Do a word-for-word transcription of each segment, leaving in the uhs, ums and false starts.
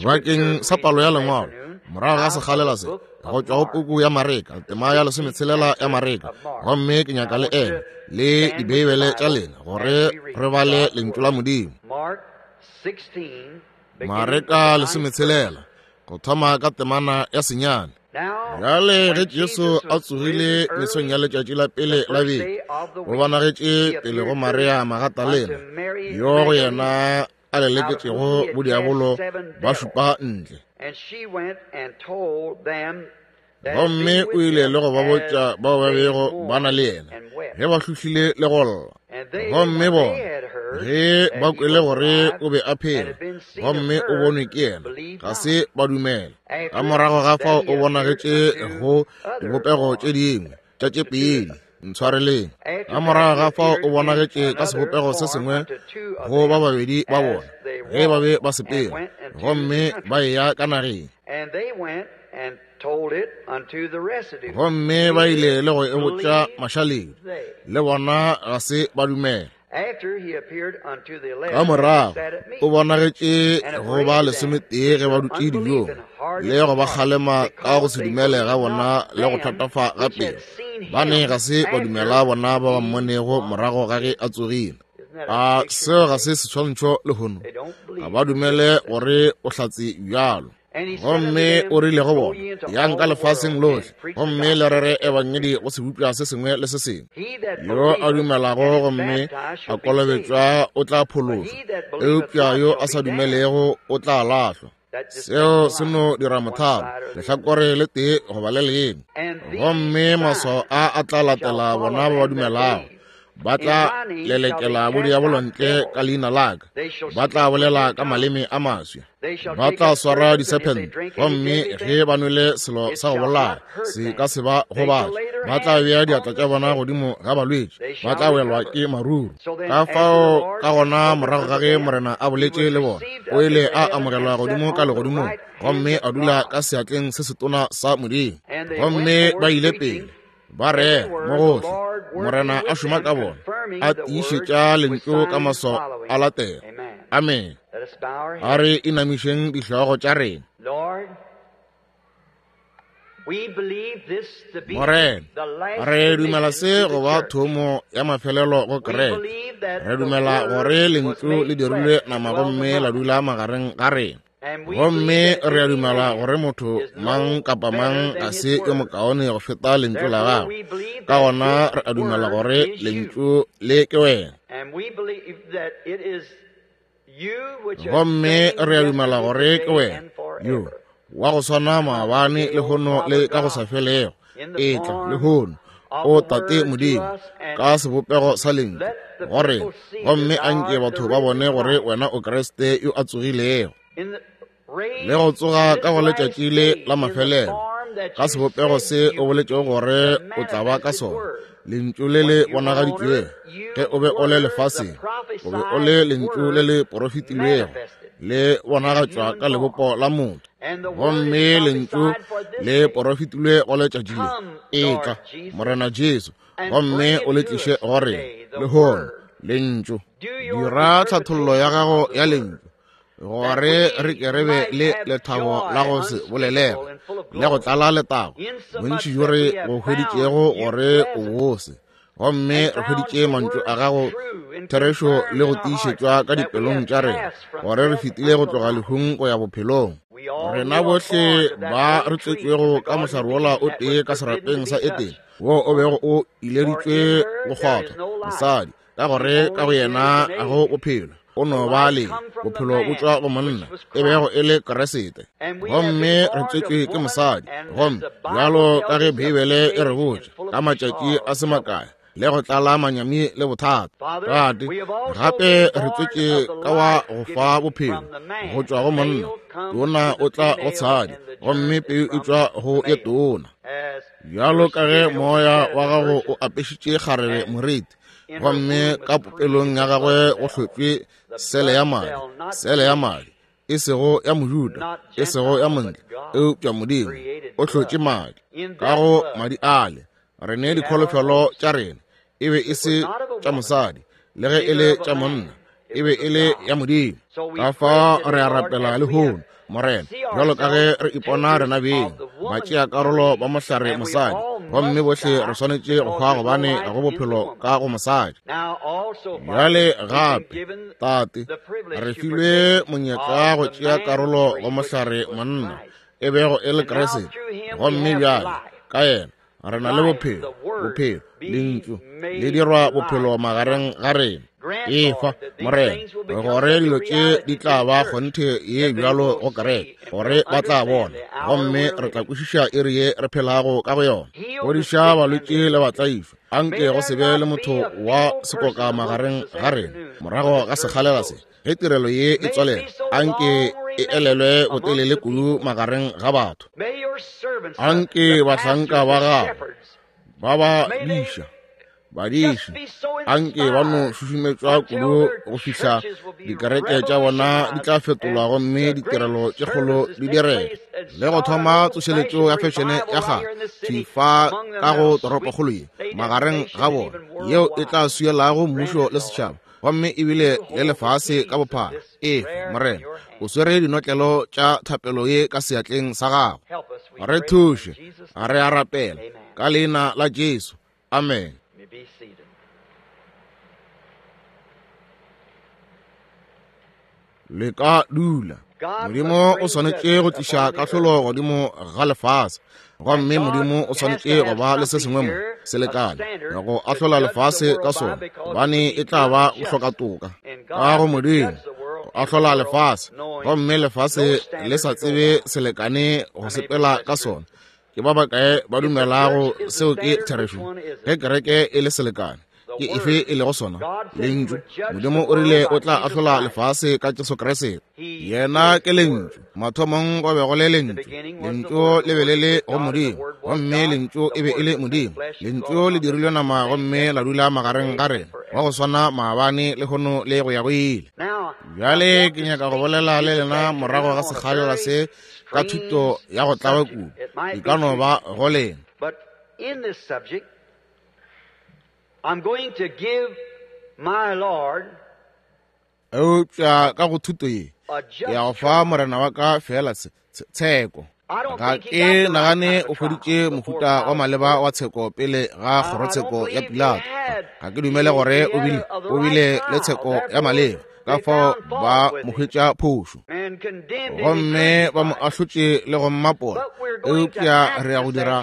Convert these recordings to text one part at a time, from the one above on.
Bakeng sa palo ya lengwalo morago ga sekgalela se go tšwa go puku ya Mareka, tema ya lesometshelela ya Mareka, gomme ke nyaka le eme le dibeibele tša lena gore re bale lentšu la Modimo. Mareka lesometshelela go thoma ka temana ya senyane. Bjale ge Jesu a tsogile mesong ya letšatši la pele la beke, o bonagetše pele go Maria Magatalena, yo go yena a leleketšego bodiabolo ba šupa ntle. Gomme o ile le go ba botša bao ba bego ba na le yena ge ba hlohlile le go lla. Gomme bona ge ba kwele gore o be a phela gomme o bonwe ke yena, ga se ba dumela. Ka morago ga fao o bonagetše go dibopego tše dingwe tša tše pedi, ntshwareleng. Ka morago ga fao o bonagetše ka sebopego se sengwe go ba babedi ba bona ge ba be ba sepela gomme ba eya ka nageng. Gomme ba ile le go e botša mašaledi, le bona ga se ba dumela. Ka morago o bonagetše go ba lesometee ge ba dutše dijong, le go ba kgalema ka go se dumele ga bona le go thatafa ga pelo. Ba ne ga se ba dumela bona ba ba mmonego morago ga ge a tsogile. A seo ga se seswantšho lehono? Ga ba dumele gore o hlatse bjalo. Gomme o rile go bona, yang ka lefaseng lohle gomme le rere ebangedi go sebopša se sengwe le se sengwe. Yo a dumelago gomme a kolobetšwa o tla phološwa, eupša yo a sa dumelego o tla lahlwa. Seo se no dira mothalo, lehlakore le tee goba le lengwe. Gomme maswao a a tla latela bona ba ba dumelago. Ba tla lelekela bodiabolo ntle ka leina la ka, ba tla bolela ka maleme a maswa, ba tla swara disephente, gomme ge ba nwele selo sa go bolaya se ka se ba gobatša. Ba tla bea diatla tša bona godimo ga balwetši, ba tla welwa ke maruru. Ka fao ka gona morago ga ge Morena a boletše le bona, o ile a amogelwa godimo ka legodimong gomme a dula ka seatleng se setona sa Modimo. Gomme ba ile pele ba rera mo gohle, Morena a šoma ka bona, a tiišetša lentšu ka maswao a latela. Amen. A re inamišeng dihlogo tša rena. Morena, re dumela se go ba thomo ya mafelelo go kereke. Re dumela gore lentšu le dirilwe nama gomme la dula magareng ga rena. Gomme re a dumela gore motho mang kapa mang ga se yo mokaone go feta lentšu la gagwe. Ka gona re a dumela gore lentšu le ke wena. Gomme re a dumela gore ke wena yo wa go swana maabane lehono le ka go sa felego. Etla lehono, o Tate Modimo, ka sebopego sa lentšu gore gomme anke batho ba bone gore wena o Kriste yo a tsogilego le go tsoga ka go letšatši le la mafelelo ka sebopego se o boletšego gore o tla ba ka sona. Lentšu le le bonagaditšwego ge o be o le lefaseng, o be o le lentšu le le porofetilwego le bonagatšwa ka lebopo la motho. Gomme lentšu le porofetilwe go letšatši le. Etla, Morena Jesu, gomme o le tliše go rena lehono lentšu. Dira tlhathollo ya gago ya lentšu gore re ke re be le lethabo la go se bolelege le go tlala letago bontši bjo re go hweditšego gore o bose. Gomme re hweditše mantšu a gago therešo le go tiišetšwa ka dipelong tša rena gore re fetile go tloga lehung go ya bophelong. Rena bohle ba re tswetšwego ka mohlare wola o tee ka serapeng sa Etene, wo o bego o ileditšwe go kgwathwa mosadi, ka gore ka go yena ga go bophelo, o no ba le bophelo bo tšwa go monna e bego e le Kriste. Gomme re tswetšwe ke mosadi, gomme bjalo ka ge Beibele e re botša, ka matšatši a se makae le go tlala manyami le bothata. Tate, gape re tswetše ka wa go fa bophelo go tšwa go monna, tona o tla go tshadi, gomme peu e tšwa go ye tona. Bjalo ka ge moya wa gago o apešitše kgarebe moriti, gomme ka popelong ya gagwe go hlotšwe sele ya madi, sele ya madi e sego ya Mojuda, e sego ya montle, eupša Modimo o hlotše madi. Ka go madi ale re ne dikholofelo tša rena, e be e se tša mosadi le ge e le tša monna, E be e le ya Modimo. Ka fao re a rapela lehono, Morena, bjalo ka ge re ipona rena beng batšeakarolo ba mohlare mosadi, gomme bohle re swanetše go hwa gobane ga go bophelo ka go mosadi. Bjale gape, Tate, re filwe monyetla go tšea karolo go mohlare monna, e bego e le Kriste, gomme bjale ka yena re na le bophelo, bophelo, lentšu le dirwa bophelo magareng ga rena. Efa, Morena, gore dilo tše di tla ba kgonthe ye bjalo go kereke, gore ba tla bona, gomme re tla kwešiša iri ye re phelago ka go yona. Fodiša balwetši le batlaišwa, anke go se be le motho wa sekoka magareng ga rena morago ga sekgalela se. Ge tirelo ye e tswalela, anke e elelwe botelele kudu magareng ga batho. Anke bahlanka ba gago ba ba diša, badiši, anke ba no šušumetšwa kudu go fihla dikereke tša bona di tla fetolwa gomme ditirelo tše kgolo di direga, le go thoma tsošeletšo ya fešene ya kgale thifa ka go toropokgolo ye magareng ga bona, yeo e tla swielago mmušo le setšhaba, gomme ebile le lefase ka bophara. Efa, Morena, o swere dinotlelo tša thapelo ye ka seatleng sa gago. Re thuše, re a rapela ka leina la Jesu. Amen. Le ka dula. Modimo o swanetše go tliša kahlolo godimo ga lefase, gomme Modimo o swanetše go ba le se sengwe mo selekane go ahlola lefase ka sona, gobane e tla ba go hloka toka ka go Modimo go ahlola lefase, gomme lefase le sa tsebe selekane go sepela ka sona. Ke ba bakae ba dumelago seo ke therešo? Ge kereke e le selekane, ke efe e lego sona? Lentšu. Modimo o rile o tla ahlola lefase ka Jesu Kriste. Yena ke Lentšu. Mathomong go be go le Lentšu. Lentšu le be le le go Modimo, gomme Lentšu e be e le Modimo. Lentšu le dirilwe nama gomme la dula magareng ga rena, wa go swana maabane, lehono le go ya go ile. Bjale ke nyaka go bolela le lena morago ga sekgalela se ka thuto ya go tlaba kudu, e ka no ba go lena. I'm going to give my Lord eupša ka go thuto ye ke ya go fa Morena wa ka fela tsheko. Ga ke nagane o hweditše mohuta wa maleba wa tsheko pele ga kgorotsheko ya Pilato. Ga ke dumele gore o bile o bile le tsheko ya maleba, ka fao ba mo hwetša phošo gomme ba mo ahlotše le go mmapola. Eupša re ya go dira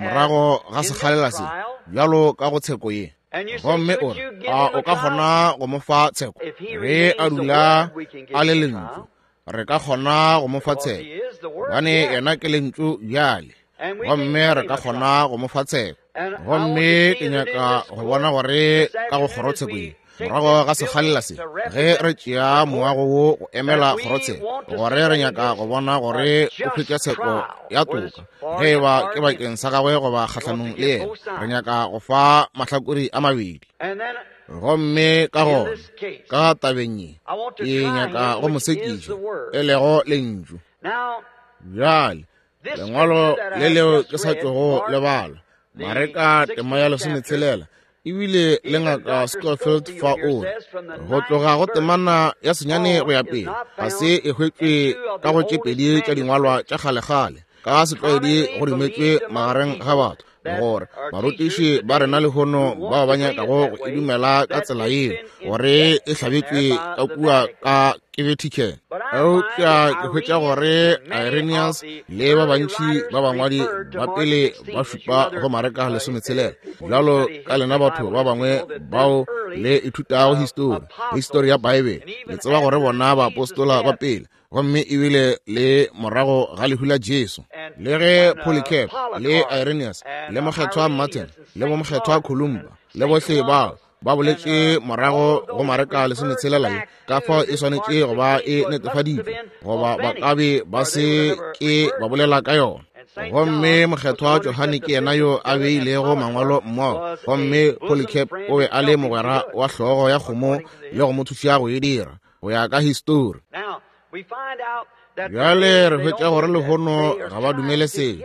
morago ga sekgalela se bjalo ka go tsheko ye. Gomme o re, a o ka kgona go mo fa tsheko? Ge a dula a le lentšu, re ka kgona go mo fa tsheko, gobane yena ke lentšu bjale, gomme re ka kgona go mo fa tsheko. Gomme ke nyaka go bona gore ka go kgorotsheko ye morago ga sekgalela se, ge re tšea moago wo go emela kgorotsheko, gore re nyaka go bona gore o hwetša tsheko ya toka, ge e ba ke bakeng sa gagwe goba kgahlanong le yena. Re nyaka go fa mahlakore a mabedi. Gomme ka gona ka tabeng ye ke nyaka go mo sekiša, e lego lentšu. Bjale lengwalo le leo ke sa tšogo le bala, Mareka tema ya lesometshelela, ebile le ngaka Scofield fa o re go tloga go temana ya senyane go ya pele ga se e hwetšwe ka go tše pedi tša dingwalwa tša kgalekgale ka setlwaedi go dumetšwe magareng ga batho, gore barutiši ba rena lehono bao ba nyakago go e dumela ka tsela yeo gore e hlabetšwe ka kua ka ke Vatican. Eupša ke hwetša gore Irenaeus le ba bantši ba bangwadi ba pele ba šupa go Mareka lesometshelela, bjalo ka lena batho ba bangwe bao le ithutago histori, histori ya Bible, le tseba gore bona baapostola ba pele, gomme ebile le morago ga lehu la Jesu, le ge Polycarp le Irenaeus le mokgethwa Martin le bomokgethwa Columba le bohle bao ba boletše morago go Mareka lesometshelela ye, ka fao e swanetše go ba e netefaditšwe, goba ba ka be ba se ke ba bolela ka yona. Gomme mokgethwa Johane ke yena yo a beilego mangwalo mmogo, gomme Polycarp o be a le mogwera wa hlogo ya kgomo le go mo thuša go e dira go ya ka histori. Bjale re hwetša gore lehono ga ba dumele seo,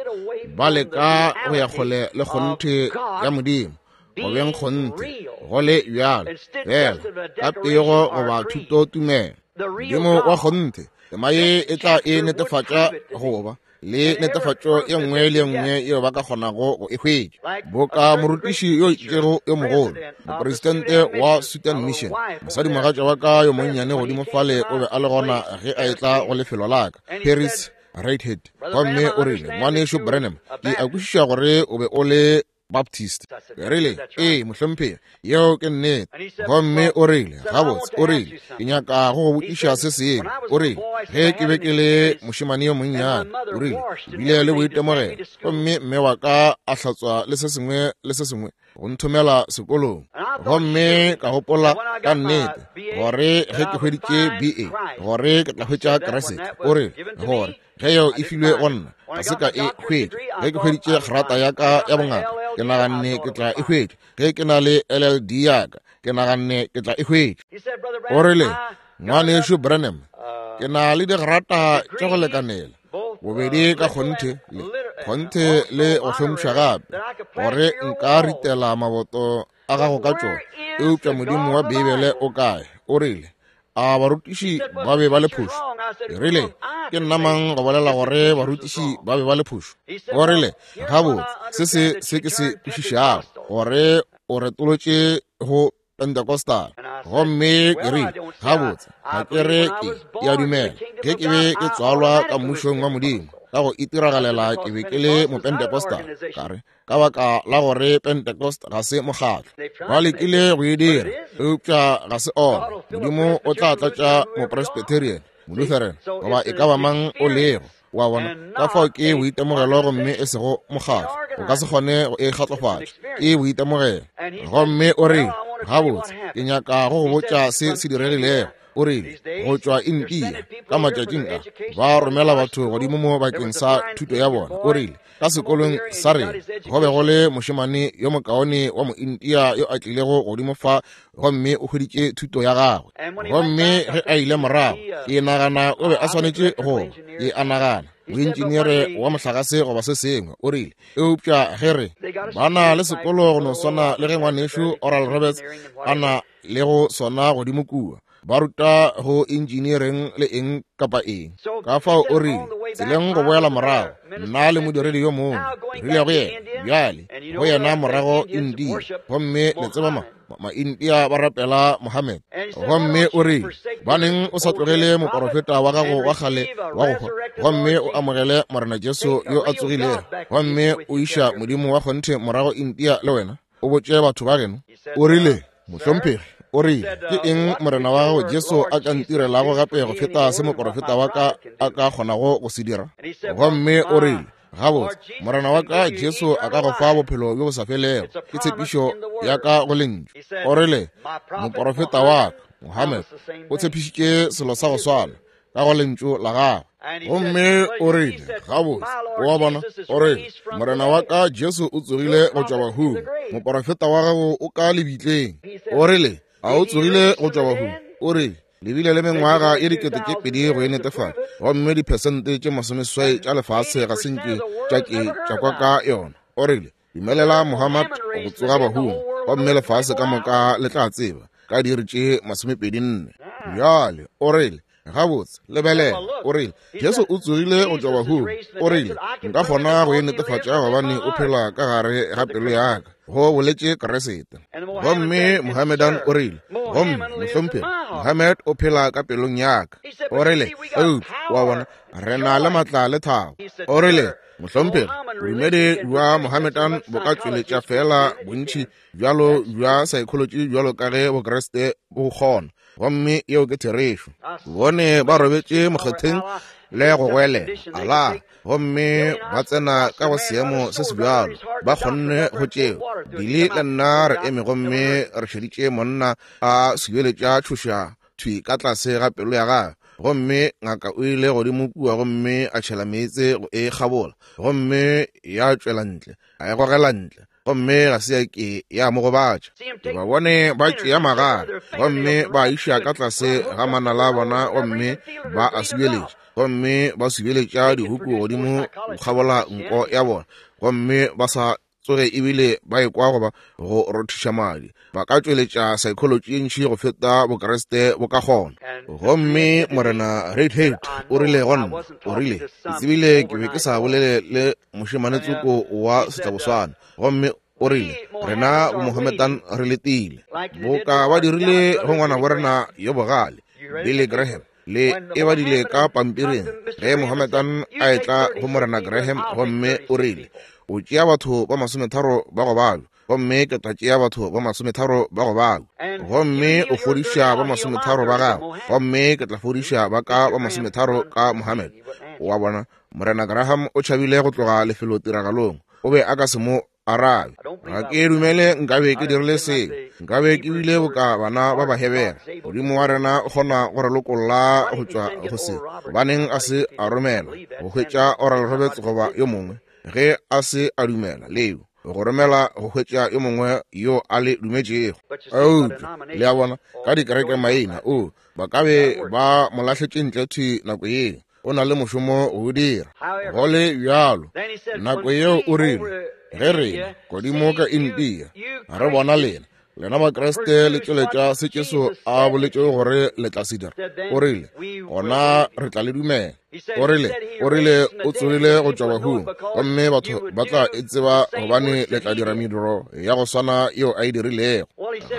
ba leka go ya kgole le kgonthe ya Modimo, go beng kgonthe go le bjalo fela ka pego goba thutotumelo. Modimo wa kgonthe, tema ye e tla e netefatša goba le netefatšo ye nngwe le ye nngwe yeo ba ka kgonago go e hwetša. Boka morutiši yo itšego yo mogolo, mopresidente wa Sudan Mission, mosadimogatša wa ka yo monnyane godimo fale o be a le gona ge a etla go lefelo la ka, Paris Redhead, gomme o rile, ngwanešu Branham, ke a kwešiša gore o be o le Baptist. Ke rile, ee, mohlomphegi, yeo ke nnete. Gomme o rile, gabotse, o rile, ke nyaka go go botšiša se sengwe. O rile, ge ke be ke le mošemane yo monnyane, o rile, ke bile le boitemogelo, gomme mme wa ka a hlatswa le se sengwe le se sengwe go nthomela sekolong. Gomme ka gopola ka nnete gore ge ke hweditše B A, gore ke tla hwetša Kriste. O rile, gore ge yeo e filwe go nna, ga se ka e hwetša. Ge ke hweditše grata ya ka ya bongaka, ke naganne ke tla e hwetša. Ge ke na le L L D ya ka, ke naganne ke tla e hwetša. O rile, ngwanešu Branham, ke na le digrata tša go lekanela, bobedi ka kgonthe le kgonthe le go hlompšha gape, gore nka ritela maboto a gago ka tšona. Eupša Modimo wa Beibele o kae? O rile, a barutiši ba be ba le phošo? Ke rile, ke nna mang go bolela gore barutiši ba be ba le phošo? O rile, gabotse, se se se ke se kwešišago, gore o retolotše go Pentecostal. Gomme ke rile, gabotse, ga ke re ke ke a dumela ge ke be ke tswalwa ka mmušong wa Modimo, ka go itiragalela ke be ke le mopentecostal. Ka re, ka baka la gore Pentecost ga se mokgatlo, ba lekile go e dira, eupša ga se ona. Modimo o tla tlatša mopresbyterian, molutheran, goba e ka ba mang o lego. Wa bona, ka fao ke boitemogelo gomme e sego mokgatlo. O ka se kgone go e kgatlofatša, ke boitemogelo. Gomme o rile, gabotse, ke nyaka go go botša se se diregilego. O rile, go tšwa India ka matšatšing a, ba romela batho godimo mo bakeng sa thuto ya bona. O rile, ka sekolong sa rena go be go le mošemane yo mokaone wa moindia yo a tlilego godimo fa, gomme o hweditše thuto ya gagwe. Gomme ge a ile morago, ke nagana o be a swanetše go ba, ke a nagana, moentšineere wa mohlagase goba se sengwe. O rile, eupša ge re ba na le sekolo go no swana le ge ngwanešu Oral Roberts a na le go sona godimo kua, ba ruta go engineering le eng kapa eng. Ka fao o rile, tseleng go boela morago, nna le modiredi yo mongwe, rile go yena, bjale go yena morago India, gomme le tseba ma ma-India ba rapela Mohammed. Gomme o rile, baneng o sa tlogele moporofeta wa gago wa kgale wa go hwa, gomme o amogele Morena Jesu yo a tsogilego, gomme o iša Modimo wa kgonthe morago India le wena, o botše batho ba geno. O rile, mohlomphegi, o rile, ke eng Morena wa gago Jesu a ka ntirelago gape go feta se moporofeta wa ka a ka kgonago go se dira? Gomme o rile, gabotse, Morena wa ka Jesu a ka go fa bophelo bjo bo sa felego, ke tshepišo ya ka go lentšu. O rile, moporofeta wa ka Mohammed o tshepišitše selo sa go swana ka go lentšu la gagwe. Gomme o rile, gabotse, wa bona, o rile, Morena wa ka Jesu o tsogile go tšwa bahung, moporofeta wa gago o ka lebitleng. O rile, a o tsogile go tšwa bahung? O rile, le bile le mengwaga ye dikete tše pedi go e netefatša, gomme diphesente tše masomeseswai tša lefase ga se nke tša ke tša kwa ka yona. O rile, dumelela Mohammed go tsoga bahung, gomme lefase ka moka le tla tseba ka diiri tše masomepedi nne. Bjale o rile, gabotse, lebelela. O rile, Jesu o tsogile go tšwa bahung. O rile, nka kgona go e netefatša gobane o phela ka gare ga pelo ya ka, go boletše Kriste. Gomme Mohammedan o rile, gomme mohlomphegi, Mohammed o phela ka pelong ya ka. O rile, eupša wa bona, re na le matla le thabo. O rile, mohlomphegi, bodumedi bja Mohammedan bo ka tšweletša fela bontši bjalo bja psychology bjalo ka ge Bokriste bo kgona, gomme yeo ke therešo. Bone ba robetše mokgotheng le go goelela Allah, gomme ba tsena ka go seemo se se bjalo, ba kgonne go tšeo. Billy le nna re eme gomme re šeditše monna a subeletša tšhoša thwi ka tlase ga pelo ya gagwe, gomme ngaka o ile godimo kua gomme a tšhela meetse go e kgabola, gomme ya tšwela ntle, a e gogela ntle, gomme ga se ya ke ya mo gobatša. Ba bone ba tšea magare gomme ba iša ka tlase ga manala a bona, gomme ba a subeletša, gomme ba subeletša dihuku godimo go kgabola nko ya bona, gomme ba sa tsoge ebile ba ekwa goba go rothiša madi. Ba ka tšweletša psychology ye ntši go feta Bokriste bo ka kgona. Gomme Morena Redhead o rile go nna, o rile, ke tsebile ke be ke sa bolele le mošemane tsoko wa setlaboswana. Gomme o rile, rena boMohammedan re letile boka ba dirile go ngwana bo rena yo bogale Billy Graham, le e badile ka pampiring ge Mohammedan a etla go Morena Graham. Gomme o rile, o tšea batho ba masometharo ba go balwa, gomme ke tla tšea batho ba masometharo ba go balwa. Gomme o fodiša ba masometharo ba gago, gomme ke tla fodiša ba ka ba masometharo ka Mohammed. Wa bona, Morena Graham o tšhabile go tloga lefelotiragalong. O be a ka se mo arabe. Ga ke dumele nkabe ke dirile seo, nkabe ke bile boka bana ba Bahebere. Modimo wa rena o kgona go re lokolla go tšwa go se. Gobaneng a se a romela go hwetša Oral Roberts goba yo mongwe? Ge a se a dumela leo, go romela go hwetša yo mongwe yo a le dumetšego. Eupša le a bona, ka dikereke maina, o ba ka be ba mo lahletše ntle thwi nako yeo. O na le mošomo go dira. Go le bjalo, nako yeo o rile, ge rena godimo ka India re bona lena, lena Bakriste le tšweletša se Jesu a boletšego gore le tla se dira, o rile, gona re tla le dumela. O rile, o rile o tsogile go tšwa bahung, gomme batho ba tla e tseba gobane le tla dira mediro ya go swana yeo a e dirilego.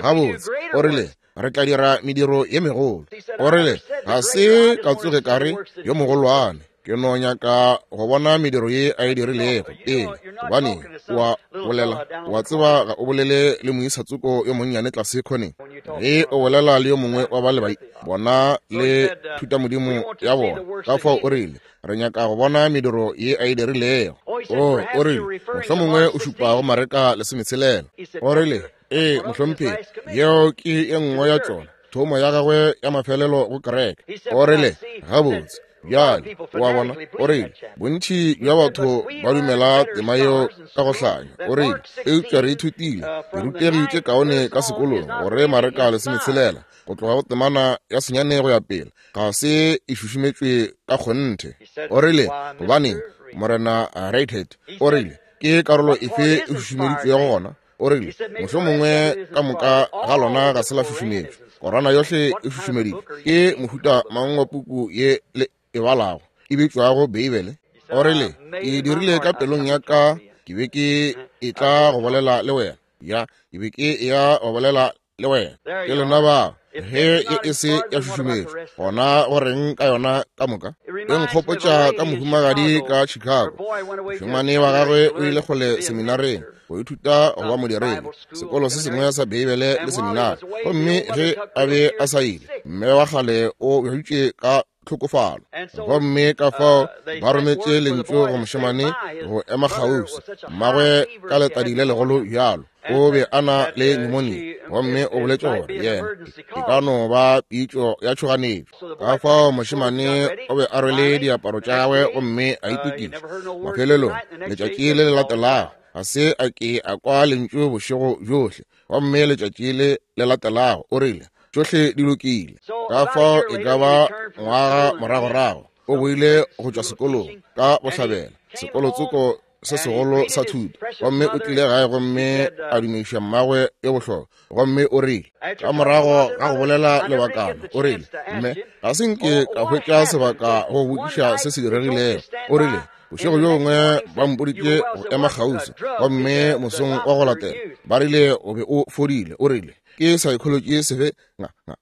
Gabotse, o rile, re tla dira mediro ye megolo. O rile, ga se ka tsoge ka re yo mogolwane, ke no nyaka go bona mediro ye a e dirilego pele. Gobane wa bolela, wa tseba ga o bolele le moisa tsoko yo monnyane tlase khoneng. Ge o bolela le yo mongwe wa ba le ba bona le thutamodimo ya bona. Ka fao o rile, re nyaka go bona mediro ye a e dirilego. O, o rile, mohlomongwe o šupa go Mareka lesometshelela. O rile, ee, mohlomphegi, yeo ke ye nngwe ya tšona, thomo ya gagwe ya mafelelo go kereke. O rile, gabotse, bjale wa bona, o rile, bontši bja batho ba dumela tema yeo ka go hlanya. O rile, eupša re ithutile, re rutegi tše kaone ka sekolong gore Mareka lesometshelela go tloga go temana ya senyane go ya pele ga se e šušumetšwe ka kgonthe. O rile, gobaneng, Morena Redhead, o rile, ke karolo efe e šušumeditšwego gona? O rile, mohlomongwe ka moka ga lona ga se la šušumetšwa, Korana yohle e šušumeditšwe. Ke mohuta mang wa puku ye le e balago e bitšwago Beibele? O rile, ke dirile ka pelong ya ka, ke be ke e tla go bolela le wena. Ya, ke be ke ya go bolela le wena. Ke lena ba, ge e e se ya šušumetšwa, gona go reng ka yona ka moka? E nkgopotša ka mohumagadi ka Chicago. Mošemane wa gagwe o ile kgole seminareng go ithuta go ba modiredi, sekolo se sengwe sa Beibele le seminari. Gomme ge a be a sa ile, mme wa kgale o bjaditše ka tlhokofalo. Gomme ka fao ba rometše lentšu go mošemane go ema kgauswi. Mmagwe ka letadi le legolo bjalo, o be a na le pneumonia, gomme o boletše gore yena e ka no ba pitšo ya tšhoganetšo. Ka fao mošemane o be a rwele diaparo tša gagwe gomme a itokiša. Mafelelong letšatši le le latelago ga se a ke a kwa lentšu bošego bjohle, gomme letšatši le le latelago o rile, tšohle di lokile. Ka fao e ka ba ngwaga moragorago o boile go tšwa sekolong ka bohlabela, sekolotsoko se segolo sa thuto, gomme o tlile gae gomme a dumediša mmagwe yo bohlokwa. Gomme o rile, ka morago ga go bolela lebakana, o rile, mme ga se nke ka hwetša sebaka go botšiša se se diregilego. O rile, bošego bjo bongwe ba mpoditše go ema kgauswi, gomme mosong wa go latela ba rile o be o fodile. O rile, ke psychology sefe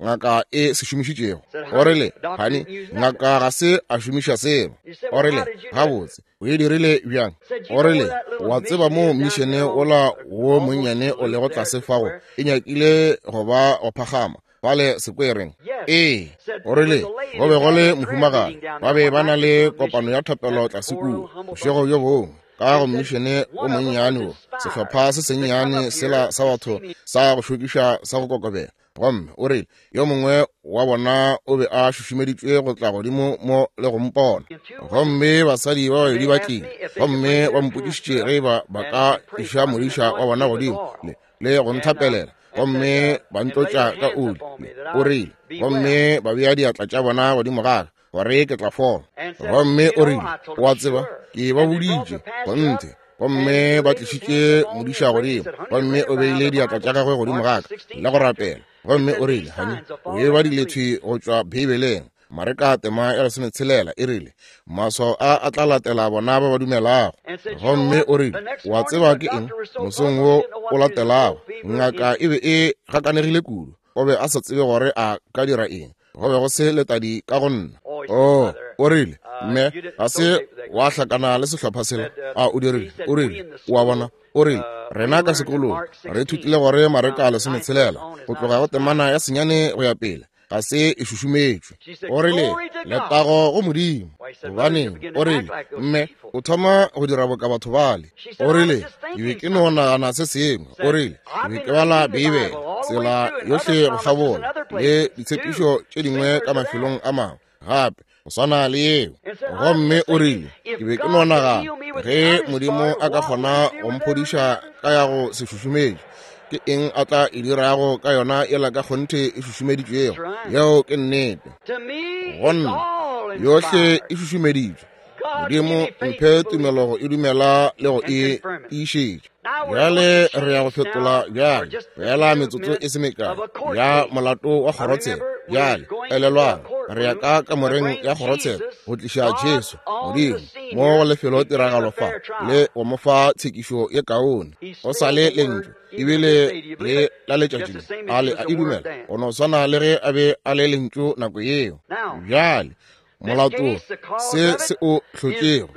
ngaka e se šomišitšego? O rile, hani, ngaka ga se a šomiša selo. O rile, gabotse, o e dirile bjang? O rile, wa tseba mo mišene ola wo monnyane o lego tlase fago e nyakile go ba go phagama fale sekwereng? Ee. O rile, go be go le mohumagadi, ba be ba na le kopano ya thapelo tlase kua bošego bjo bongwe ka go mmišene o monnyane wo, sehlopha se sennyane sela sa batho sa go šokiša sa go kokobela. Gomme o rile, yo mongwe wa bona o be a šušumeditšwe go tla godimo mo le go mpona. Gomme basadi ba babedi ba tlile, gomme ba mpotšišitše ge ba ba ka iša modiša wa bona godimo le, le go nthapelela, gomme ba ntlotša ka oli. O rile, gomme ba bea diatla tša bona godimo ga ka gore ke tla fola. Gomme o rile, wa tseba, ke ba boditše kgonthe. Gomme ba tlišitše modiša godimo, gomme o beile diatla tša gagwe godimo ga ka le go rapela. Gomme o rile, honey, o e badile thwi go tšwa Beibeleng. Mareka tema ya lesometshelela e rile, maswao a a tla latela bona ba ba dumelago. Gomme o rile, wa tseba ke eng? Mosong wo o latelago, ngaka e be e gakanegile kudu. O be a sa tsebe gore a ka dira eng. Go be go se letadi ka go nna. Oh, o rile, mme ga se wa hlakana le sehlopha sela. A o dirile? O rile, o a bona? O rile, rena ka sekolong re ithutile gore Mareka lesometshelela go tloga go temana ya senyane go ya pele ga se e šušumetšwe. O rile, letago go Modimo. Gobaneng, o rile, mme o thoma go dira boka batho bale. O rile, ke be ke no nagana se sengwe. O rile, ke be ke bala Beibele tsela yohle go kgabola le ditshepišo tše dingwe ka mafelong a mangwe gape go swana le yeo. Gomme o rile, ke be ke no nagana ge Modimo a ka kgona go mphodiša ka ya go se šušumetše, ke eng a tla e dirago ka yona yela ka kgonthe e šušumeditšwego? Yeo ke nnete. Go nna yohle e šušumeditšwe. Modimo mphe tumelo go e dumela le go e tiišetša. Bjale re ya go fetola bjale fela metsotso e se mekae ya molato wa kgorotsheko. Bjale elelwang, re ya ka kamoreng ya kgorotsheko go tliša Jesu Modimo mo go lefelo tiragalo fa le go mo fa tshekišo ye kaone. O sa le lentšu ebile le la letšatši le a le a e dumela go no swana le ge a be a le lentšu nako yeo. Bjale molato se se o hlotšego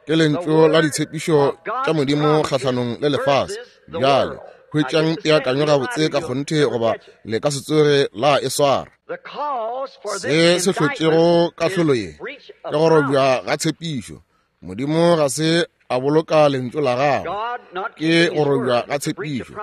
ke lentšu la ditshepišo tša Modimo kgahlanong le lefase. Bjale hwetšang peakanyo gabotse ka kgonthe goba le ka se tsoge la e swara. Se se hlotšego kahlolo ye ke go robja ga tshepišo. Modimo ga se a boloka lentšu la gagwe, ke go robja ga tshepišo.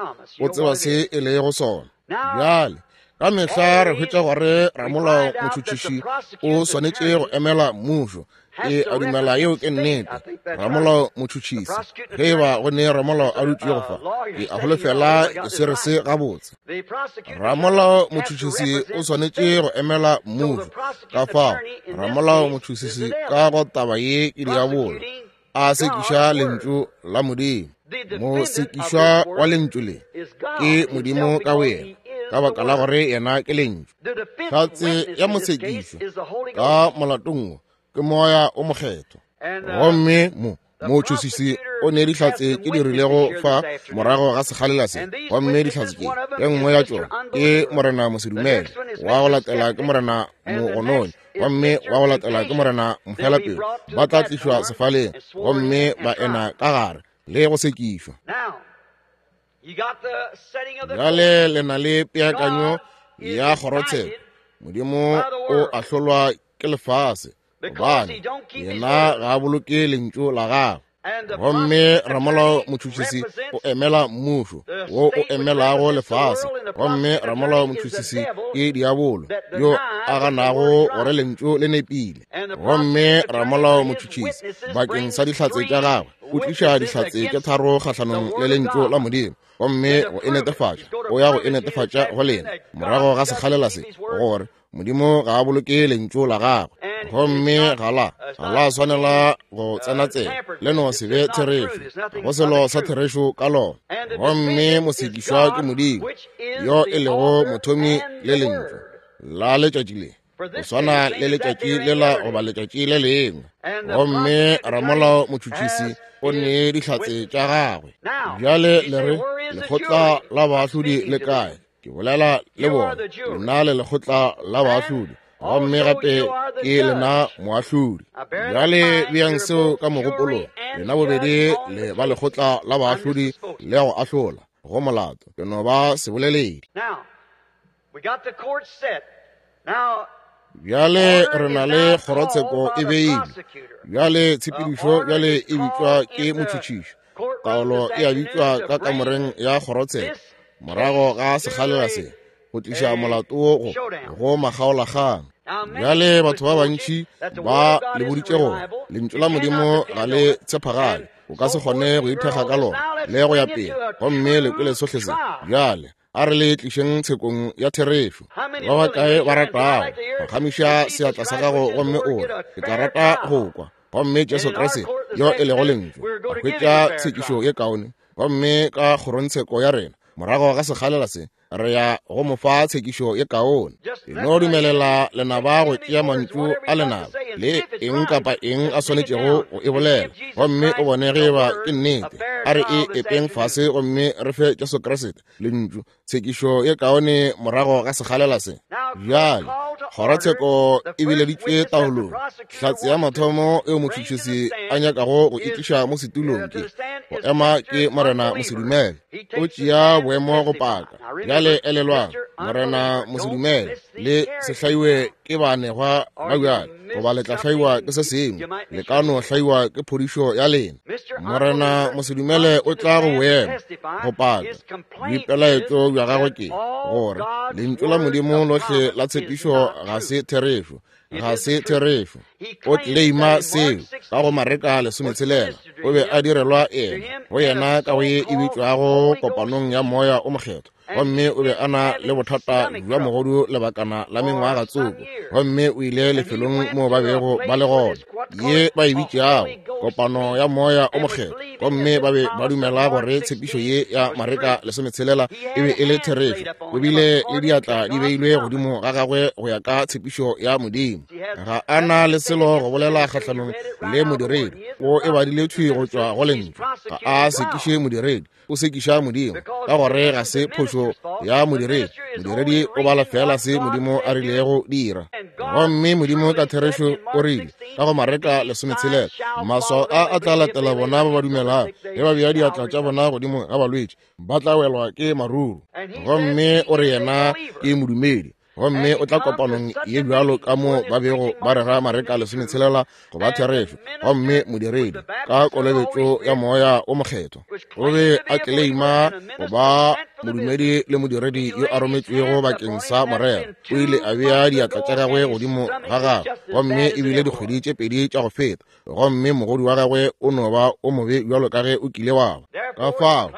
O tseba se e lego sona. Bjale ka mehla re hwetša gore ramolao motšhotšhiši o swanetše go emela mmušo. E a dumela yeo ke nnete. Ramolao motšhotšhisi, ge e ba go ne ramolao a dutšego fa, ke a holofela ke swere se gabotse. Ramolao motšhotšhisi o swanetše go emela mmušo. Ka fao ramolao motšhotšhisi ka go taba ye ke diabolo a sekiša lentšu la Modimo. Mosekišwa wa lentšu le ke Modimo ka boyena, ka baka la gore yena ke lentšu. Hlatse ya mosekišwa ka molatong wo ke Moya o Mokgethwa. Gomme mo motšhotšhisi o ne dihlatse tše di rilego fa morago ga sekgalela se. Gomme dihlatse tše, ye nngwe ya tšona ke Morena Mosedumele, wa go latela ke Morena Mogononi, gomme wa go latela ke Morena Mofelapelo. Ba tla tlišwa sefaleng gomme ba ena ka gare le go sekišwa. Bjale le na le peakanyo ya kgorotsheko. Modimo o ahlolwa ke lefase gobane yena ga a boloke lentšu la gagwe. Gomme ramolao motšhotšhisi o emela mmušo wo o emelago lefase. Gomme ramolao motšhotšhisi ke diabolo yo a ganago gore lentšu le nepile. Gomme ramolao motšhotšhisi bakeng sa dihlatse tša gagwe o tliša dihlatse tše tharo kgahlanong le lentšu la Modimo, gomme go e netefatša o ya go e netefatša go lena morago ga sekgalela se gore Modimo ga a boloke lentšu la gagwe. Gomme ga la ga la swanela go tsena tsela le no se be therešo, go selo sa therešo ka lona. Gomme mosekišwa ke Modimo yo e lego mothomi le lentšu la letšatši le, go swana le letšatši lela goba letšatši le lengwe. Gomme ramolao motšhotšhisi o ne dihlatse tša gagwe. Bjale le re, lekgotla la baahlodi le kae? Ke bolela le bona, lena le lekgotla la baahlodi, gomme gape ke lena moahlodi. Bjale beang seo ka mogopolong, lena bobedi le ba lekgotla la baahlodi le go ahlola go molato. Ke no ba seboleledi. Bjale re na le kgorotsheko e beilwe. Bjale tshepedišo bjale e bitšwa ke motšhotšhiši. Taolo e a bitšwa ka kamoreng ya kgorotsheko morago ga sekgalela se go tliša molato wo go go makgaolakgang. Bjale batho ba bantši ba le boditše gore lentšu la Modimo ga le tshepagale, o ka se kgone go ithekga ka lona le go ya pele, gomme le kwele sohle se. Bjale a re le tlišeng tshekong ya therešo. Ba bakae ba ratago phagamiša seatla sa gago gomme o re, ke tla rata go kwa. Gomme Jesu Kriste yo e lego lentšu, a hwetša tshekišo ye kaone. Gomme ka kgorontsheko ya rena morago ga sekgalela se, re ya go mo fa tshekišo ye kaone. E no dumelela lenaba go tšea mantšu a lenaba le eng kapa eng a swanetšego go e bolela, gomme o bone ge eba ke nnete. A re e epeng fase gomme re fe Jesu Kriste lentšu tshekišo ye kaone morago ga sekgalela se. Bjale kgorotsheko e bileditšwe taolong. Hlatse ya mathomo eo motšhotšhisi a nyakago go itliša mo setulong ke go ema ke Morena Mosedumele. O tšea boemo go paka. Bjale elelwang, Morena Mosedumele le se hlaiwe ke baanegwa ba bjale, goba le tla hlaiwa ke se sengwe, le ka no hlaiwa ke phodišo ya lena. Morena Mosedumele o tla go boemo go paka. Boipelaetšo bja gagwe ke gore lentšu la Modimo lohle la tshepišo ga se therešo, ga se therešo. O tleleima seo ka go Mareka lesometshelela. O be a direlwa ena go yena ka go ye e bitšwago kopanong ya moya o mokgethwa, gomme o be a na le bothata bja mogodu lebakana la mengwaga tsoko, gomme o ile lefelong moo ba bego ba le gona, ye ba e bitšago kopano ya moya o mokgethwa, gomme ba be ba dumela gore tshepišo ye ya Mareka lesometshelela e be e le therešo. O bile le diatla di beilwe godimo ga gagwe go ya ka tshepišo ya Modimo. Ga a na le selo go bolela kgahlanong le modiredi, o e badile thwi go tšwa go lentšu. Ga a sekiše modiredi, o sekiša Modimo, ka gore ga se phošo ya modiredi. Modiredi o bala fela se Modimo a rilego dira, gomme Modimo ka therešo o rile ka go Mareka lesometshelela, maswao a a tla latela bona ba ba dumelago, ge ba bea diatla tša bona godimo ga balwetši ba tla welwa ke maruru. Gomme o re yena ke modumedi, gomme o tla kopanong ye bjalo ka mo ba bego ba rera Mareka lesometshelela go ba therešo, gomme modiredi ka kolobetšo ya moya o mokgethwa o be a tleleima go ba modumedi le modiredi yo a rometšwego bakeng sa morero. O ile a bea diatla tša gagwe godimo ga gagwe, gomme e bile dikgwedi tše pedi tša go feta, gomme mogodu wa gagwe o no ba o mobe bjalo ka ge o kile wa ba. Ka fao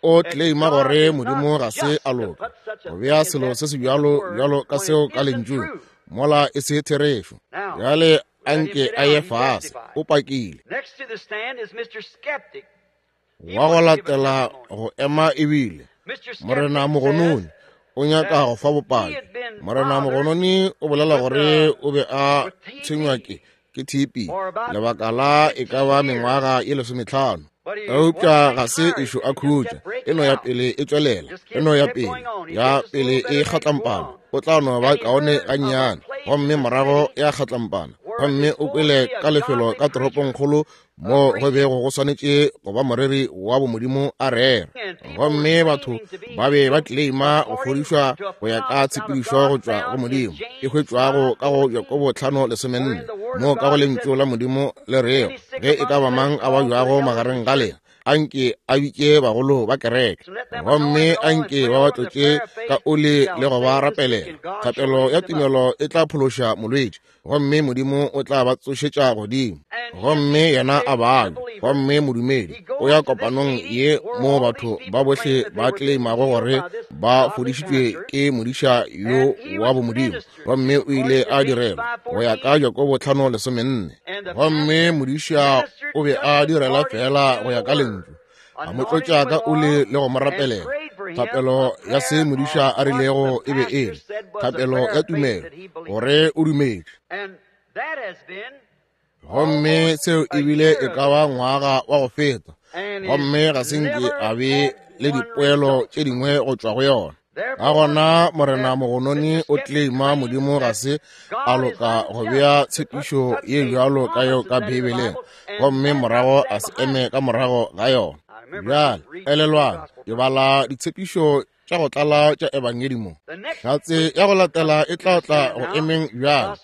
o tleleima gore Modimo ga se a loka go bea selo se se bjalo bjalo ka seo ka lentšung, mola e se therešo. Bjale anke a ye fase, o pakile. Wa go latela go ema ebile Morena Mogononi o nyaka go fa bopaki. Morena Mogononi o bolela gore o be a tshwenywa ke ke T B lebaka la e ka ba mengwaga ye lesometlhano, eupša ga se ešo a khutša, e no ya pele e tšwelela, e no ya pele ya pele e kgatlampana. O tla no ba kaone gannyane, gomme morago ya kgatlampana. Gomme o kwele ka lefelo ka toropongkgolo mo go bego go swanetše go ba moreri wa bomodimo a rera, gomme batho ba be ba tleleima go fodišwa go ya ka tshepedišo go tšwa go Modimo e hwetšwago ka go Jakobo tlhano lesomenne, mo ka go lentšu la Modimo le rego ge e ka ba mang a babjago magareng ga lena, anke a bitše bagolo ba kereke, gomme anke ba ba tlotše ka oli le go ba rapelela. Thapelo ya tumelo e tla phološa molwetši, gomme Modimo o tla ba tsošetša godimo, gomme yena a babja. Gomme modumedi o ya kopanong ye mo batho ba bohle ba tleimago gore ba fodišitšwe ke modiša yo wa bomodimo, gomme o ile a direlwa go ya ka Jakobo tlhano lesomenne. Gomme modiša o be a direla fela go ya ka lentšu, a mo tlotša ka oli le go mo rapelela. Thapelo ya se modiša a rilego e be e le thapelo ya tumelo, gore o dumetše. Gomme seo ebile e ka ba ngwaga wa go feta, gomme ga se nke a be le dipoelo tše dingwe go tšwa go yona. Ka gona Morena Mogononi o tleleima Modimo ga se a loka go bea tshepišo ye bjalo ka yeo ka Beibeleng, gomme morago a se eme ka morago ga yona. Bjale elelwang, ke bala ditshepišo tša go tlala tša ebangedi mo. Hlatse ya go latela e tla tla go emeng bjale.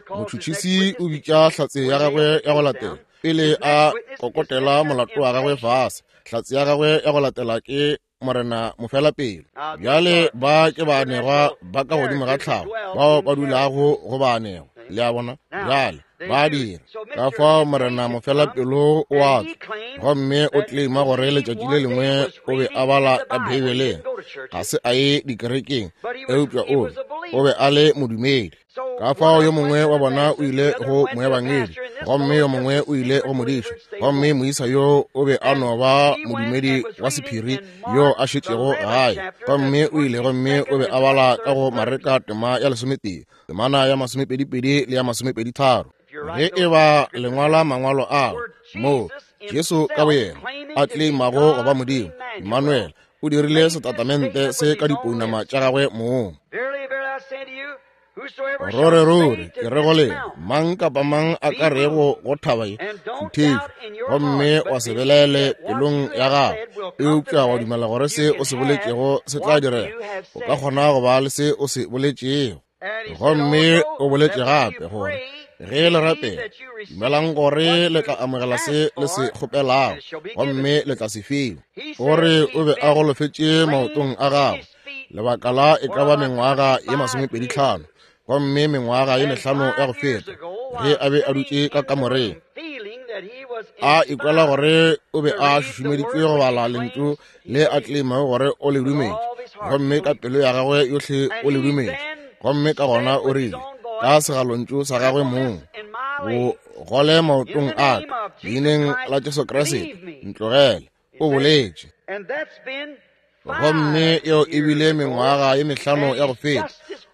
Motšhotšhisi o bitša hlatse ya gagwe ya go latela pele a kokotela molato wa gagwe fase. Hlatse ya gagwe ya go latela ke Morena Mofelapelo. Bjale ba ke baanegwa ba ka godimo ga tlhago bao ba dulago go baanegwa, le a bona. Bjale ba dira ka fao Morena Mofelapelo o a tswa, gomme o tleleima gore letšatši le lengwe o be a bala ka Beibeleng. Ga se a ye dikerekeng, eupša o be o be a le modumedi. Ka fao yo mongwe wa bona o ile go moebangedi Gomme yo mongwe o ile go modiša, gomme moisa yo o be a no ba modumedi wa sephiri yo a šetšego gae. Gomme o ile gomme o be a bala ka go Mareka tema ya lesometee, temana ya masomepedipedi le ya masomepedi tharo. Ge e ba lengwala mangwalo ao, moo Jesu ka boyena a tleimago go ba Modimo, Emmanuel, o dirile setatamente se ka dipounama tša gagwe mong. Rore ruri ke re go lena, mang kapa mang a ka rego go thaba ye, šuthetšwe, gomme wa se belaele pelong ya gago, eupša wa dumela gore se o se boletšego se tla direga, o ka kgona go ba le se o se boletšego. Gomme o boletše gape gore ge le rapela, dumelang gore le tla amogela se le se kgopelago, gomme le tla se fiwa. O re o be a golofetše maotong a gagwe lebaka la e ka ba mengwaga ye masomepedi tlhano, gomme mengwaga ye mehlano ya go feta, ge a be a dutše ka kamoreng, a ikwela gore o be a šušumeditšwe go bala lentšu le a tleimago gore o le dumetše, gomme ka pelo ya gagwe yohle o le dumetše. Gomme ka gona o rile ka segalontšu sa gagwe mong, bo gole maotong a ka, leineng la Jesu Kriste, ntlogele. O boletše. Gomme eo e bile mengwaga ye mehlano ya go feta,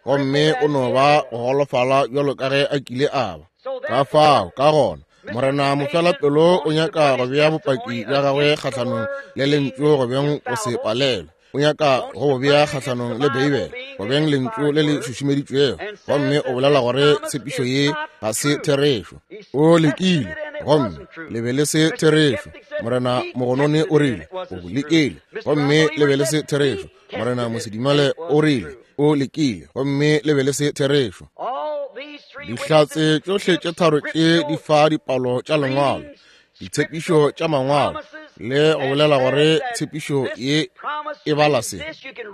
gomme o no ba go golofala bjalo ka ge a kile a ba. Ka fao ka gona Morena mofelapelo o nyaka go bea bopaki bja gagwe kgahlanong le lentšu go beng go se palelwe. O nyaka go bo bea kgahlanong le Beibele go beng lentšu le le šušumeditšwego, gomme o bolela gore tshepišo ye ga se therešo. O lekile, gomme le be le se therešo. Morena Mogonone o rile o bo lekile, gomme le be le se therešo. Morena Mosedimale o rile o lekile, gomme le be le se therešo. Dihlatse tšohle tše tharo tše di fa dipalo tša lengwalo, ditshepišo tša mangwalo, le go bolela gore tshepišo ye e bala se.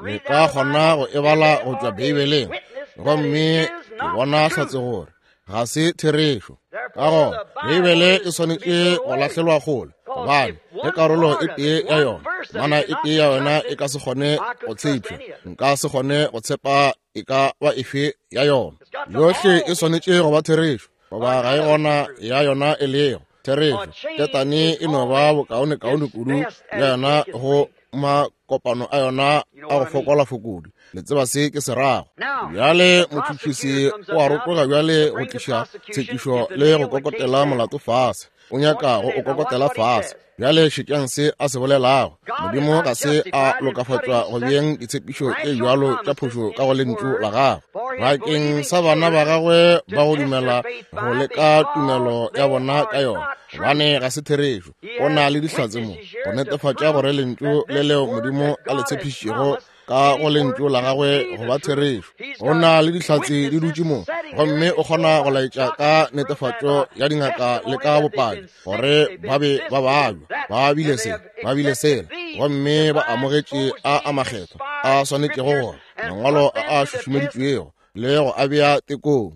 Le ka kgona go e bala go tšwa Beibeleng, gomme ke bona hlatse gore ga se therešo. Ka gona Beibele e swanetše go lahlelwa kgole, gobane ge karolo e tee ya yona, mana e tee ya yona e ka se kgone go tshepša, nka se kgone go tshepa e ka ba efe ya yona. Yohle e swanetše go ba therešo, goba ga e gona ya yona e lego therešo. Ketane e no ba bokaonekaone kudu ya yona go makopano a yona a go fokola fokodi. Le tseba se ke se rago. Bjale motšhotšhisi o a rotoga bjale go tliša tshekišo le go kokotela molato fase. O nyaka go o kokotela fase. Bjale šetšang se a se bolelago. Modimo ga se a lokafatšwa go beeng ditshepišo tše bjalo tša phošo ka go lentšu la gagwe. Bakeng sa bana ba gagwe ba go dumela go leka tumelo ya bona ka yona, gobane ga se therešo. O na le dihlatse mo go netefatša gore lentšu le leo Modimo a le tshepišitšego ka go lentšu la gagwe go ba therešo. O na le dihlatse di dutše mo, gomme o kgona go laetša ka netefatšo ya dingaka le ka bopaki gore ba be ba babja, ba bile se, ba bile sela, gomme ba amogetše a a makgethwa a swanetšego gore mangwalo a a šušumeditšwego le go a bea tekong.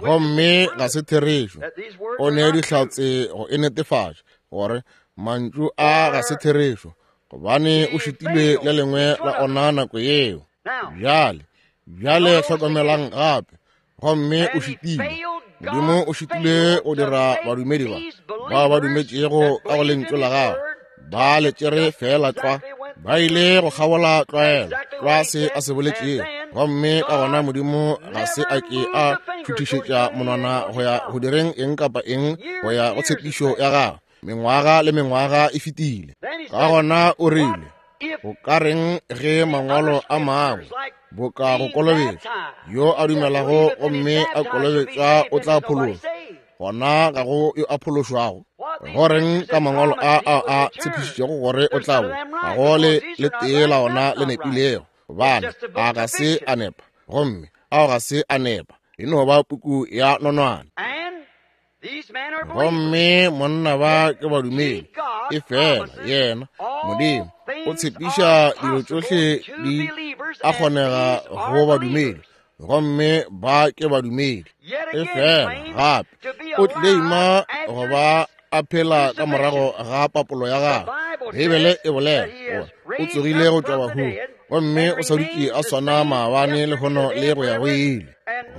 Gomme ga se therešo. O ne dihlatse go e netefatša gore mantšu a ga se therešo, gobane o šutilwe le lengwe la ona nako yeo. Bjale, bjale hlokomelang gape, gomme o šutilwe. Modimo o šutilwe go dira badumedi ba ba ba dumetšego ka go lentšu la gagwe, ba le tšere fela tlwa, ba ile go kgabola tlwaelo tlwa se a se boletšego. Gomme ka gona Modimo ga se a ke a šuthišetša monwana go ya go direng eng kapa eng go ya go tshepišo ya gagwe. Mengwaga le mengwaga e fetile. Ka gona o rile, go ka reng ge mangwalo a mangwe boka go kolobetšwa, yo a dumelago gomme a kolobetšwa o tla phološwa, gona ga go yo a phološwago. Go reng ka mangwalo a a a tshepišitšego gore o tla bo, ga go le le tee la ona le nepilego, gobane a ga se a nepa, gomme ao ga se a nepa, e no ba puku ya nonwane. Gomme monna ba ke badumedi, e fela yena Modimo o tshepiša dilo tšohle di a kgonega go badumedi, gomme ba ke badumedi. E fela gape o tleima go ba a phela ka morago ga papolo ya gagwe. Beibele e bolela gore o tsogile go tšwa bahung, gomme o sa dutše a swana maabane lehono le go ya go ile.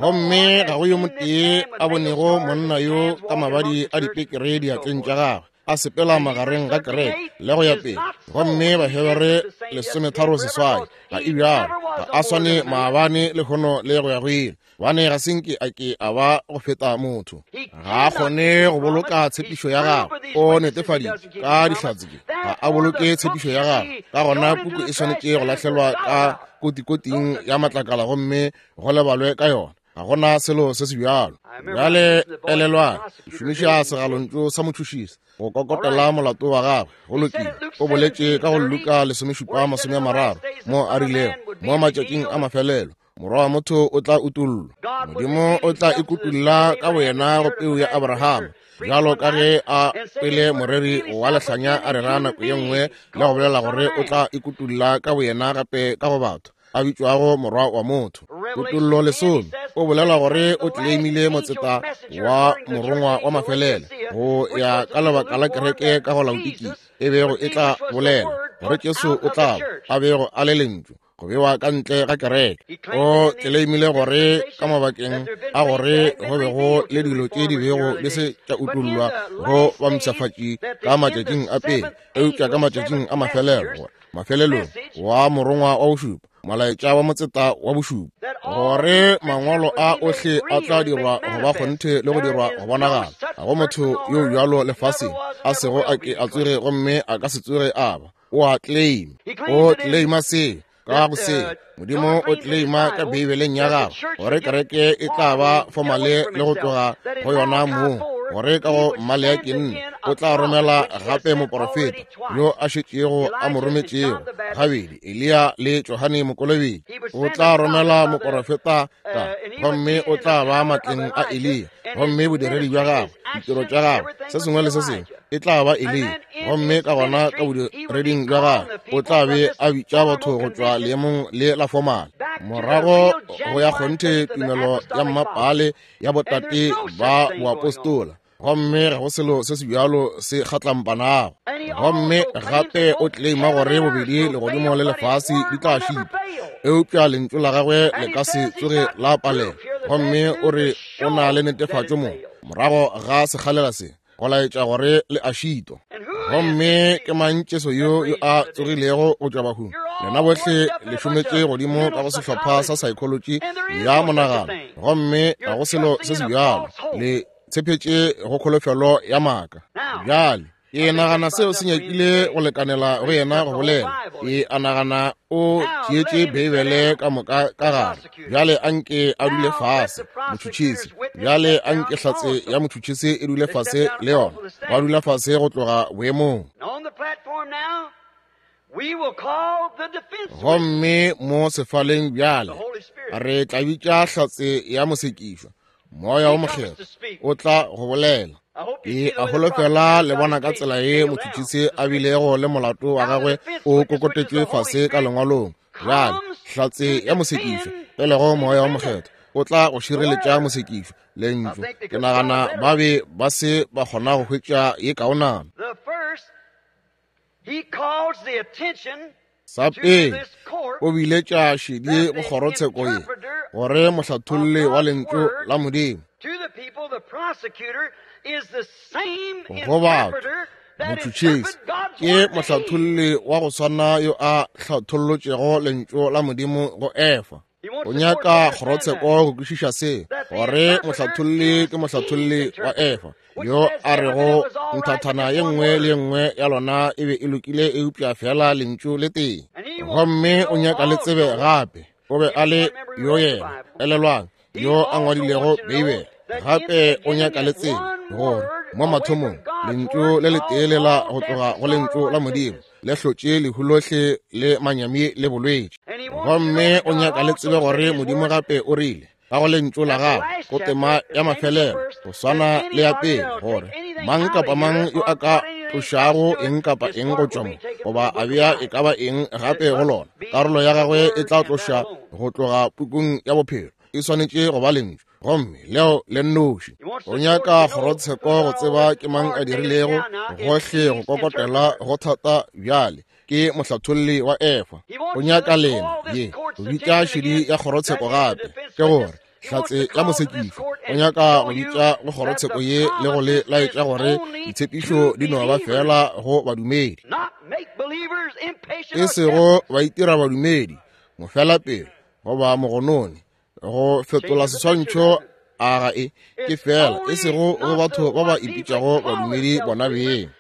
Gomme ga go yo motee a bonego monna yo ka mabadi a dipekere diatleng tša gagwe a sepela magareng ga kereke le go ya pele. Gomme Bahebere lesometharo seswai ga e bjalo, ga a swane maabane lehono le go ya go ile. Bane ga senke a ke a ba go feta motho. Ga a kgone go boloka tshepišo ya gagwe. O netefaditše ka dihlatse tše ga a boloke tshepišo ya gagwe. Ka gona puku e swanetše go lahlelwa ka kotikoting ya matlakala gomme go lebalwe ka yona. Ga gona selo se se bjalo. Bjale elelwang, šomiša segalontšu sa motšhošisi go kokotela molato wa gagwe. Go lokile. O boletše ka go Luka lesomešupa masome a mararo mo a rilego mo matšatšing a mafelelo morwa wa motho o tla utollwa. Modimo o tla ikutulla ka boyena go peu ya Abrahama, bjalo ka ge a pele moreri wa lehlanya a rera nako ye nngwe le go bolela gore o tla ikutulla ka boyena gape ka go batho a bitšwago morwa wa motho. Kutollo lesome o bolela gore o tleimile motseta wa morongwa wa mafelelo go ya ka lebaka la kereke ka go Laodikea e bego e tla bolela gore Jesu o tla a bego a le lentšu go bewa ka ntle ga kereke. O tleleimile gore ka mabakeng a gore go be go le dilo tše di bego di se tša utollwa go bampshafatši ka matšatšing a pele, eupša ka matšatšing a mafelelo gore mafelelong wa morongwa wa bošupa, molaetša wa motseta wa bošupa, gore mangwalo a ohle a tla dirwa go ba kgonthe le go dirwa go bonagala. Ga go motho yo bjalo lefaseng a sego a ke a tsoge gomme a ka se tsoge a ba. O a claim, o claima se ka go se. Modimo o claima ka Beibeleng ya gagwe gore kereke e tla ba formale le go tloga go yona moo, gore ka go Maleaki nne o tla romela gape moporofeta yo a šetšego a mo rometšego gabedi, Eliya le Johane Mokolobetši. O tla romela moporofeta ka, gomme o tla ba matleng a Eliya, gomme bodiredi bja gagwe, ditiro tša gagwe, se sengwe le se sengwe e tla ba Eliya. Gomme ka gona ka bodireding bja gagwe o tla be a bitša batho go tšwa leemong le la fomale morago go ya kgonthe tumelo ya mmapale ya botate ba boapostola. Gomme ga go selo se se bjalo se kgatlampanago. Gomme gape o claima gore bobedi legodimo le lefase di tla šipa, eupša lentšu la gagwe le ka se tsoge la palela. Gomme o re o na le netefatšo mo morago ga sekgalela se go laetša gore le a šitwa. Gomme ke mang Jesu yo yo a tsogilego go tšwa bahung? Lena bohle le šometše godimo ka go sehlopha sa psychology ya monagano, gomme ga go selo se se bjalo. Le tshepetše go kholofelo ya maaka. Bjale ke nagana seo se nyakile go lekanela go yena go bolela. Ke a nagana o tšeetše Beibele ka moka ka gare. Bjale anke a dule fase motšhotšhisi. Bjale anke hlatse ya motšhotšhisi e dule fase le yona. Ba dula fase go tloga boemong. Gomme mo sefaleng bjale re tla bitša hlatse ya mosekišwa, Moya o Mokgethwa o tla go bolela. Ke a holofela le bona ka tsela ye motšhotšhisi a bilego le molato wa gagwe o kokotetšwe fase ka lengwalong. Bjale hlatse ya mosekišwa e lego Moya o Mokgethwa o tla go šireletša mosekišwa lentšu. Ke nagana ba be ba se ba kgona go hwetša ye kaonana. Sa pele o biletša šedi go kgorotsheko ye gore mohlatholli wa lentšu la Modimo go batho motšhotšhisi ke mohlatholli wa go swana yo a hlathollotšego lentšu la Modimo go Efa. O nyaka kgorotsheko go kwešiša se, gore mohlatholli ke mohlatholli wa Efa yo a rego nthathana ye nngwe le ye nngwe ya lona e be e lokile eupša fela lentšu le tee. Gomme o nyaka le tsebe gape o be a le yo yena, elelwang, yo a ngwadilego Beibele. Gape o nyaka le tsebe gore mo mathomong lentšu le letee le la go tloga go lentšu la Modimo le hlotše lehu lohle le manyami le bolwetši. Gomme o nyaka le tsebe gore Modimo gape o rile ka go lentšu la gagwe go tema ya mafelelo go swana le ya pele, gore mang kapa mang yo a ka tlošago eng kapa eng go tšwa mo goba a bea e ka ba eng gape go lona, karolo ya gagwe e tla tloša go tloga pukung ya bophelo. E swanetše go ba lentšu, gomme leo le nnoši. O nyaka kgorotsheko go tseba ke mang a dirilego gohle go kokotela go thata bjale ke mohlatholli wa Efa. O nyaka lena ye go bitša šedi ya kgorotsheko gape, ke gore Hlatse ya mosekišwa o nyaka go bitša go kgorotsheko ye le go le laetša gore ditshepišo di no ba fela go badumedi, e sego ba itira badumedi, mofelapelo goba mogononi, go fetola seswantšho a ga e ke fela, e sego go batho ba ba ipitšago badumedi bona beng.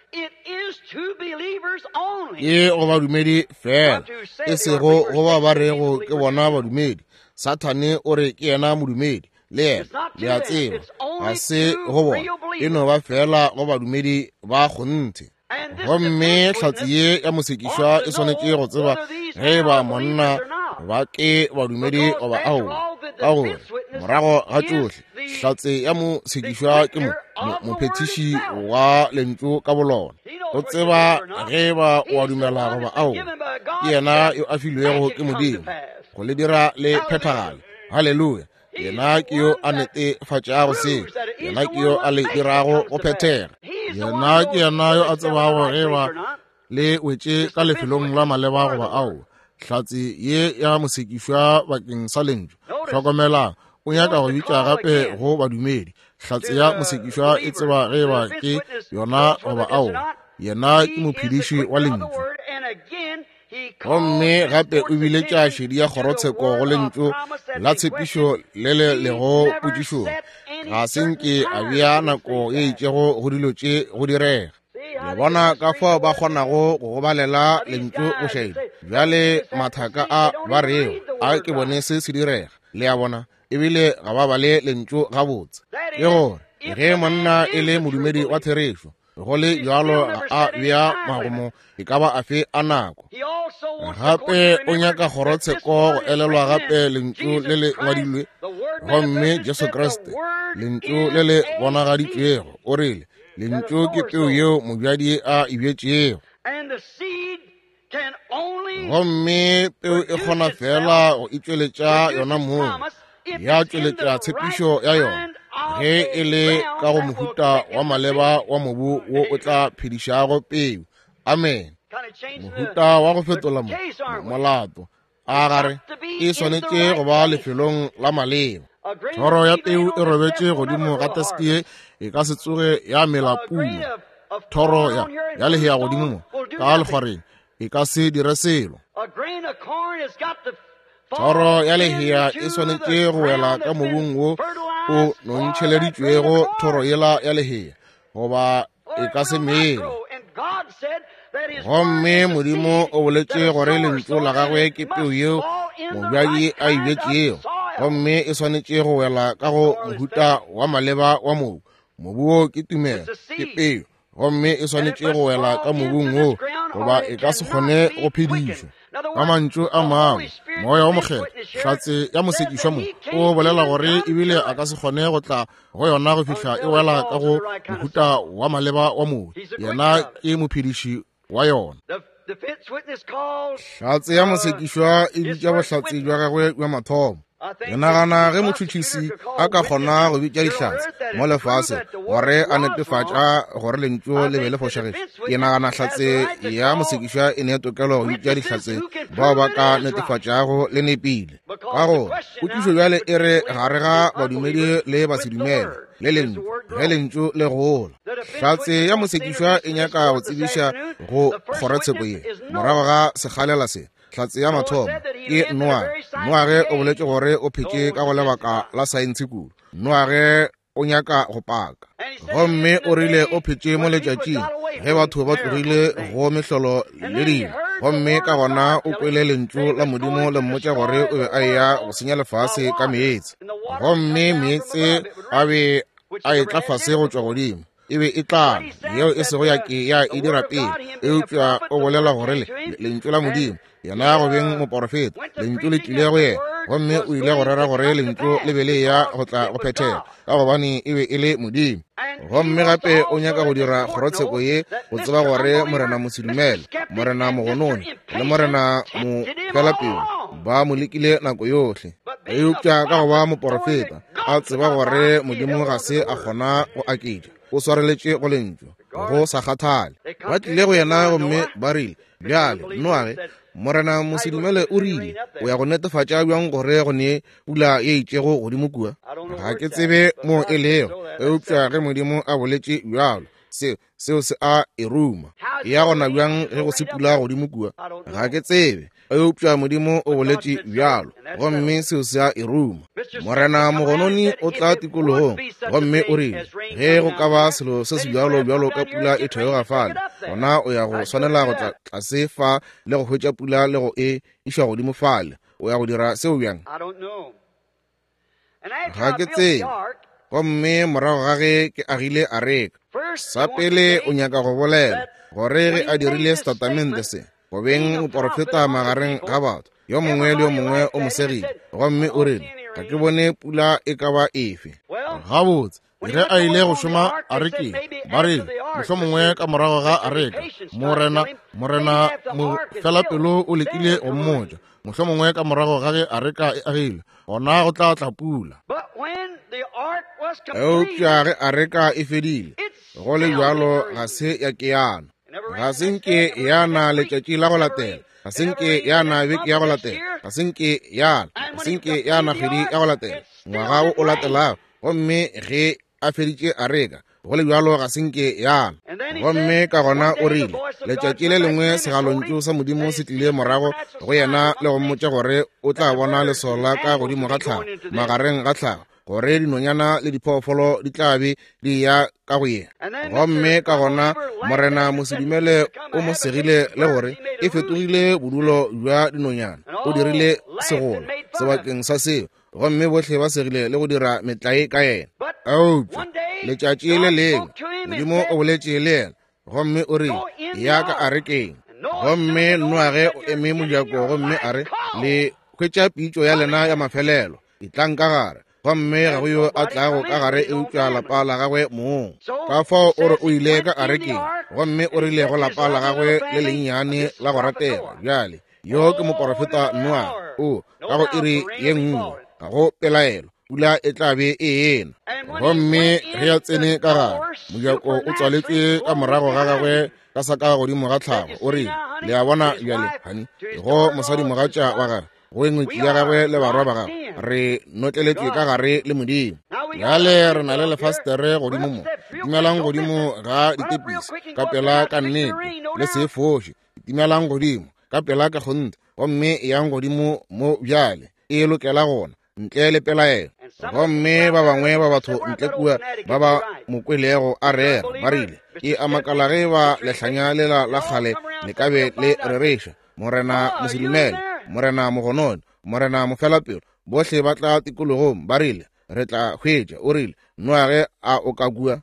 Ke go badumedi fela, e sego go ba ba rego ke bona badumedi. Sathane o re ke yena modumedi, le yena, le a tseba, ga se go bona, e no ba fela go badumedi ba kgonthe. Gomme hlatse ye ya mosekišwa e swanetše go tseba ge ba monna ba ke badumedi goba aowa, ka gore morago ga tšohle hlatse ya mosekišwa ke mo mophethiši wa lentšu ka bolona. O tseba ge ba o a dumela goba aowa, ke yena yo a filwego ke Modimo go le dira le phethagale. Haleluya! Yena ke yo a netefatšago seo, yena ke yo a le dirago go phethega. Yena ke yena yo a tsebago ge ba le wetše ka lefelong la maleba goba aowa. Hlatse ye ya mosekišwa bakeng sa lentšu, hlokomelang, o nyaka go bitša gape go badumedi. Hlatse ya mosekišwa e tseba ge ba ke yona goba aowa. Yena ke mophediši wa lentšu. Gomme gape o biletša šedi ya kgorotsheko go lentšu la tshepišo le le lego potšišong. Ga se nke a bea nako ye itšego go dilo tše go direga. Le bona ka fao ba kgonago go gobalela lentšu bošaedi. Bjale mathaka a ba rego a ke bone se se direga. Le a bona, ebile ga ba bale lentšu gabotse. Ke gore ge monna e le modumedi wa therešo, go le bjalo ga a bea magomo e ka ba afe a nako. Gape o nyaka kgorotsheko go elelwa gape lentšu le le ngwadilwe, gomme Jesu Kriste, lentšu le le bonagaditšwego, o rile lentšu ke peu yeo mobjadi a e bjetšego. Gomme peu e kgona fela go itšweletša yona mong, ya tšweletša tshepišo ya yona, ge e le ka go mohuta wa maleba wa mobu wo o tla phedišago peu. Amen. Mohuta wa go fetola mo molato a gare e swanetše go ba lefelong la maleba. Thoro ya peu e robetše godimo ga teske ye e ka se tsoge ya mela puno. Thoro ya ya lehea godimo mo ka lekgwareng e ka se dire selo. Thoro ya lehea e swanetše go wela ka mobung wo o nontšheleditšwego thoro yela ya lehea, goba e ka se mele. Gomme Modimo o boletše gore lentšu la gagwe ke peu yeo mobjadi a e bjetšego, gomme e swanetše go wela ka go mohuta wa maleba wa mobu. Mobu wo ke tumelo, ke peu, gomme e swanetše go wela ka mobung wo, goba e ka se kgone go phedišwa. Ka mantšu a mangwe, Moya wo Mokgethwa, hlatse ya mosekišwa mo, o bolela gore ebile a ka se kgone go tla go yona go fihla e wela ka go mohuta wa maleba wa mobu. Yena ke mophediši wa yona. Hlatse ya mosekišwa e bitša bohlatse bja gagwe bja mathomo. Ke nagana ge motšhotšhisi a ka kgona go bitša dihlatse mo lefase gore a netefatša gore lentšu le be le fošagetše, ke nagana hlatse ya mosekišwa e ne tokelo go bitša dihlatse bao ba ka netefatšago le nepile. Ka gore potšišo bjale e re gare ga badumedi le basedumele le lentšu, ge lentšu le gola. Hlatse ya mosekišwa e nyaka go tsebiša go kgorotsheko ye morago ga sekgalela se. Hlatse ya mathomo ke Noage. Noage o boletše gore o phetše ka go lebaka la saense kudu. Noage o nyaka go paka, gomme o rile o phetše mo letšatšing ge batho ba tlogile go mehlolo le dilo, gomme ka gona o kwele lentšu la Modimo le mmotša gore o be a eya go senya lefase ka meetse, gomme meetse a be a etla fase go tšwa godimo, e be e tlala yeo e sego ya ke ya e dira pele. Eupša o bolela gore le lentšu la Modimo, yena go beng moporofeta, lentšu le tlile go yena, gomme o ile go rera gore lentšu le be le ya go tla go phethega, ka gobane e be e le Modimo. Gomme gape o nyaka go dira kgorotsheko ye go tseba gore Morena mosedumele, Morena mogononi le Morena mofelapelo ba mo lekile nako yohle. Eupša ka go ba moporofeta, a tseba gore Modimo ga se a kgona go aketša, o swareletše go lentšu go sa kgathale. Ba tlile go yena gomme ba rile, bjale Noage, Morena Mosedumele o rile, o ya go netefatša bjang gore go ne pula ye itšego godimo kua? Ga ke tsebe mo e lego, eupša ge Modimo a boletše bjalo, seo seo se a e ruma. Ya gona bjang ge go se pula godimo kua? Ga ke tsebe, eupša Modimo o boletše bjalo, gomme seo se a e ruma. Morena Mogononi o tla tikologong, gomme o rile, ge go ka ba selo se se bjalo bjalo ka pula e theoga fale, gona o ya go swanela go tla tlase fa le go hwetša pula le go e iša godimo fale. O ya go dira seo bjang? Ga ke tsebe. Gomme morago ga ge ke agile areka, sa pele o nyaka go bolela gore ge a dirile setatamente se, go beng moporofeta magareng ga batho, yo mongwe le yo mongwe o mo segile, gomme o rile, ga ke bone pula e ka ba efe. Gabotse, ge a ile go šoma arekeng, ba rile, mohlomongwe ka morago ga areka, morena morena mofelapelo o lekile go mmotša, mohlomongwe ka morago ga ge areka e agilwe, gona go tla tla pula. Eupša ge areka e fedile, go le bjalo ga se ya ke yana. Ga se nke yana letšatši la go latela, ga se nke yana beke ya go latela, ga se nke yana, ga se nke yana kgwedi ya go latela, ngwaga o o latelago. Gomme ge a feditše areka, go le bjalo ga se nke yana. Gomme ka gona o rile, letšatši le lengwe segalontšu sa Modimo se tlile morago go yena le go mmotša gore o tla bona leswao la ka godimo ga tlhago, magareng ga tlhago, gore dinonyana le diphoofolo di tla be di ya ka go yena. Gomme ka gona Morena Mosedumele o mo segile le gore e fetogile bodulo bja dinonyana, o dirile segola sebakeng sa seo, gomme bohle ba segile le go dira metlae ka yena. Eupša letšatši le lengwe Modimo o boletše le yena, gomme o rile, ya ka arekeng. Gomme Noage o eme mojako gomme a re, le hwetša pitšo ya lena ya mafelelo, etlang ka gare. Gomme ga go yo a tlago ka gare eupša lapa la gagwe mong. Ka fao o re o ile ka arekeng, gomme o rile go lapa la gagwe le lennyane la go ratega, bjale yo ke moporofeta Noa, o ka go iri ye nngwe, ga go pelaelo, pula e tla be e ena. Gomme ge a tsene ka gare, mojako o tswaletšwe ka morago ga gagwe ka sa ka godimo ga tlhago. O rile, le a bona bjale, honey, go mosadimogatša wa gagwe, go engwetši ya gagwe le barwa ba gagwe, re notleletšwe ka gare le Modimo. Bjale re na le lefastere godimo mo, timelang godimo ga ditepisi ka pela ka nnete, le se foše, timelang godimo ka pela ka kgonthe, gomme yang godimo mo bjale, e lokela gona ntle le pelaelo. Gomme ba bangwe ba batho ntle kua ba ba mo kwelego a rera, ba rile, ke a makala ge ba lehlanya lela la kgale le ka be le rereša. Morena Mosedumele, Morena Mogononi, Morena Mofelapelo, bohle ba tla tikologong, ba rile, re tla hwetša. O rile, Noage a o ka kua?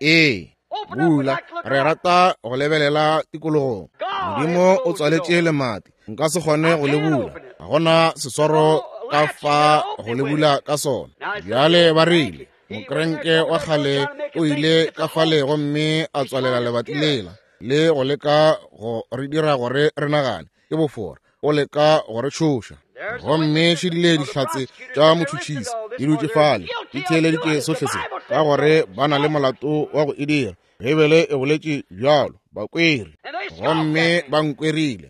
Ee, bula, re rata go lebelela tikologong. Modimo o tswaletše lemati, nka se kgone go le bula, ga gona seswaro ka fa go le bula ka sona. Bjale ba rile, mokrenke wa kgale o ile ka fale gomme a tswalela lebati lela le go leka go re dira gore re nagane ke bofora, o leka go re tšhoša. Gomme šedile dihlatse tša motšhotšhisi di dutše fale di theeleditše sohle se, ka gore ba na le molato wa go e dira. Beibele e boletše bjalo, ba kwere, gomme ba nkwerile,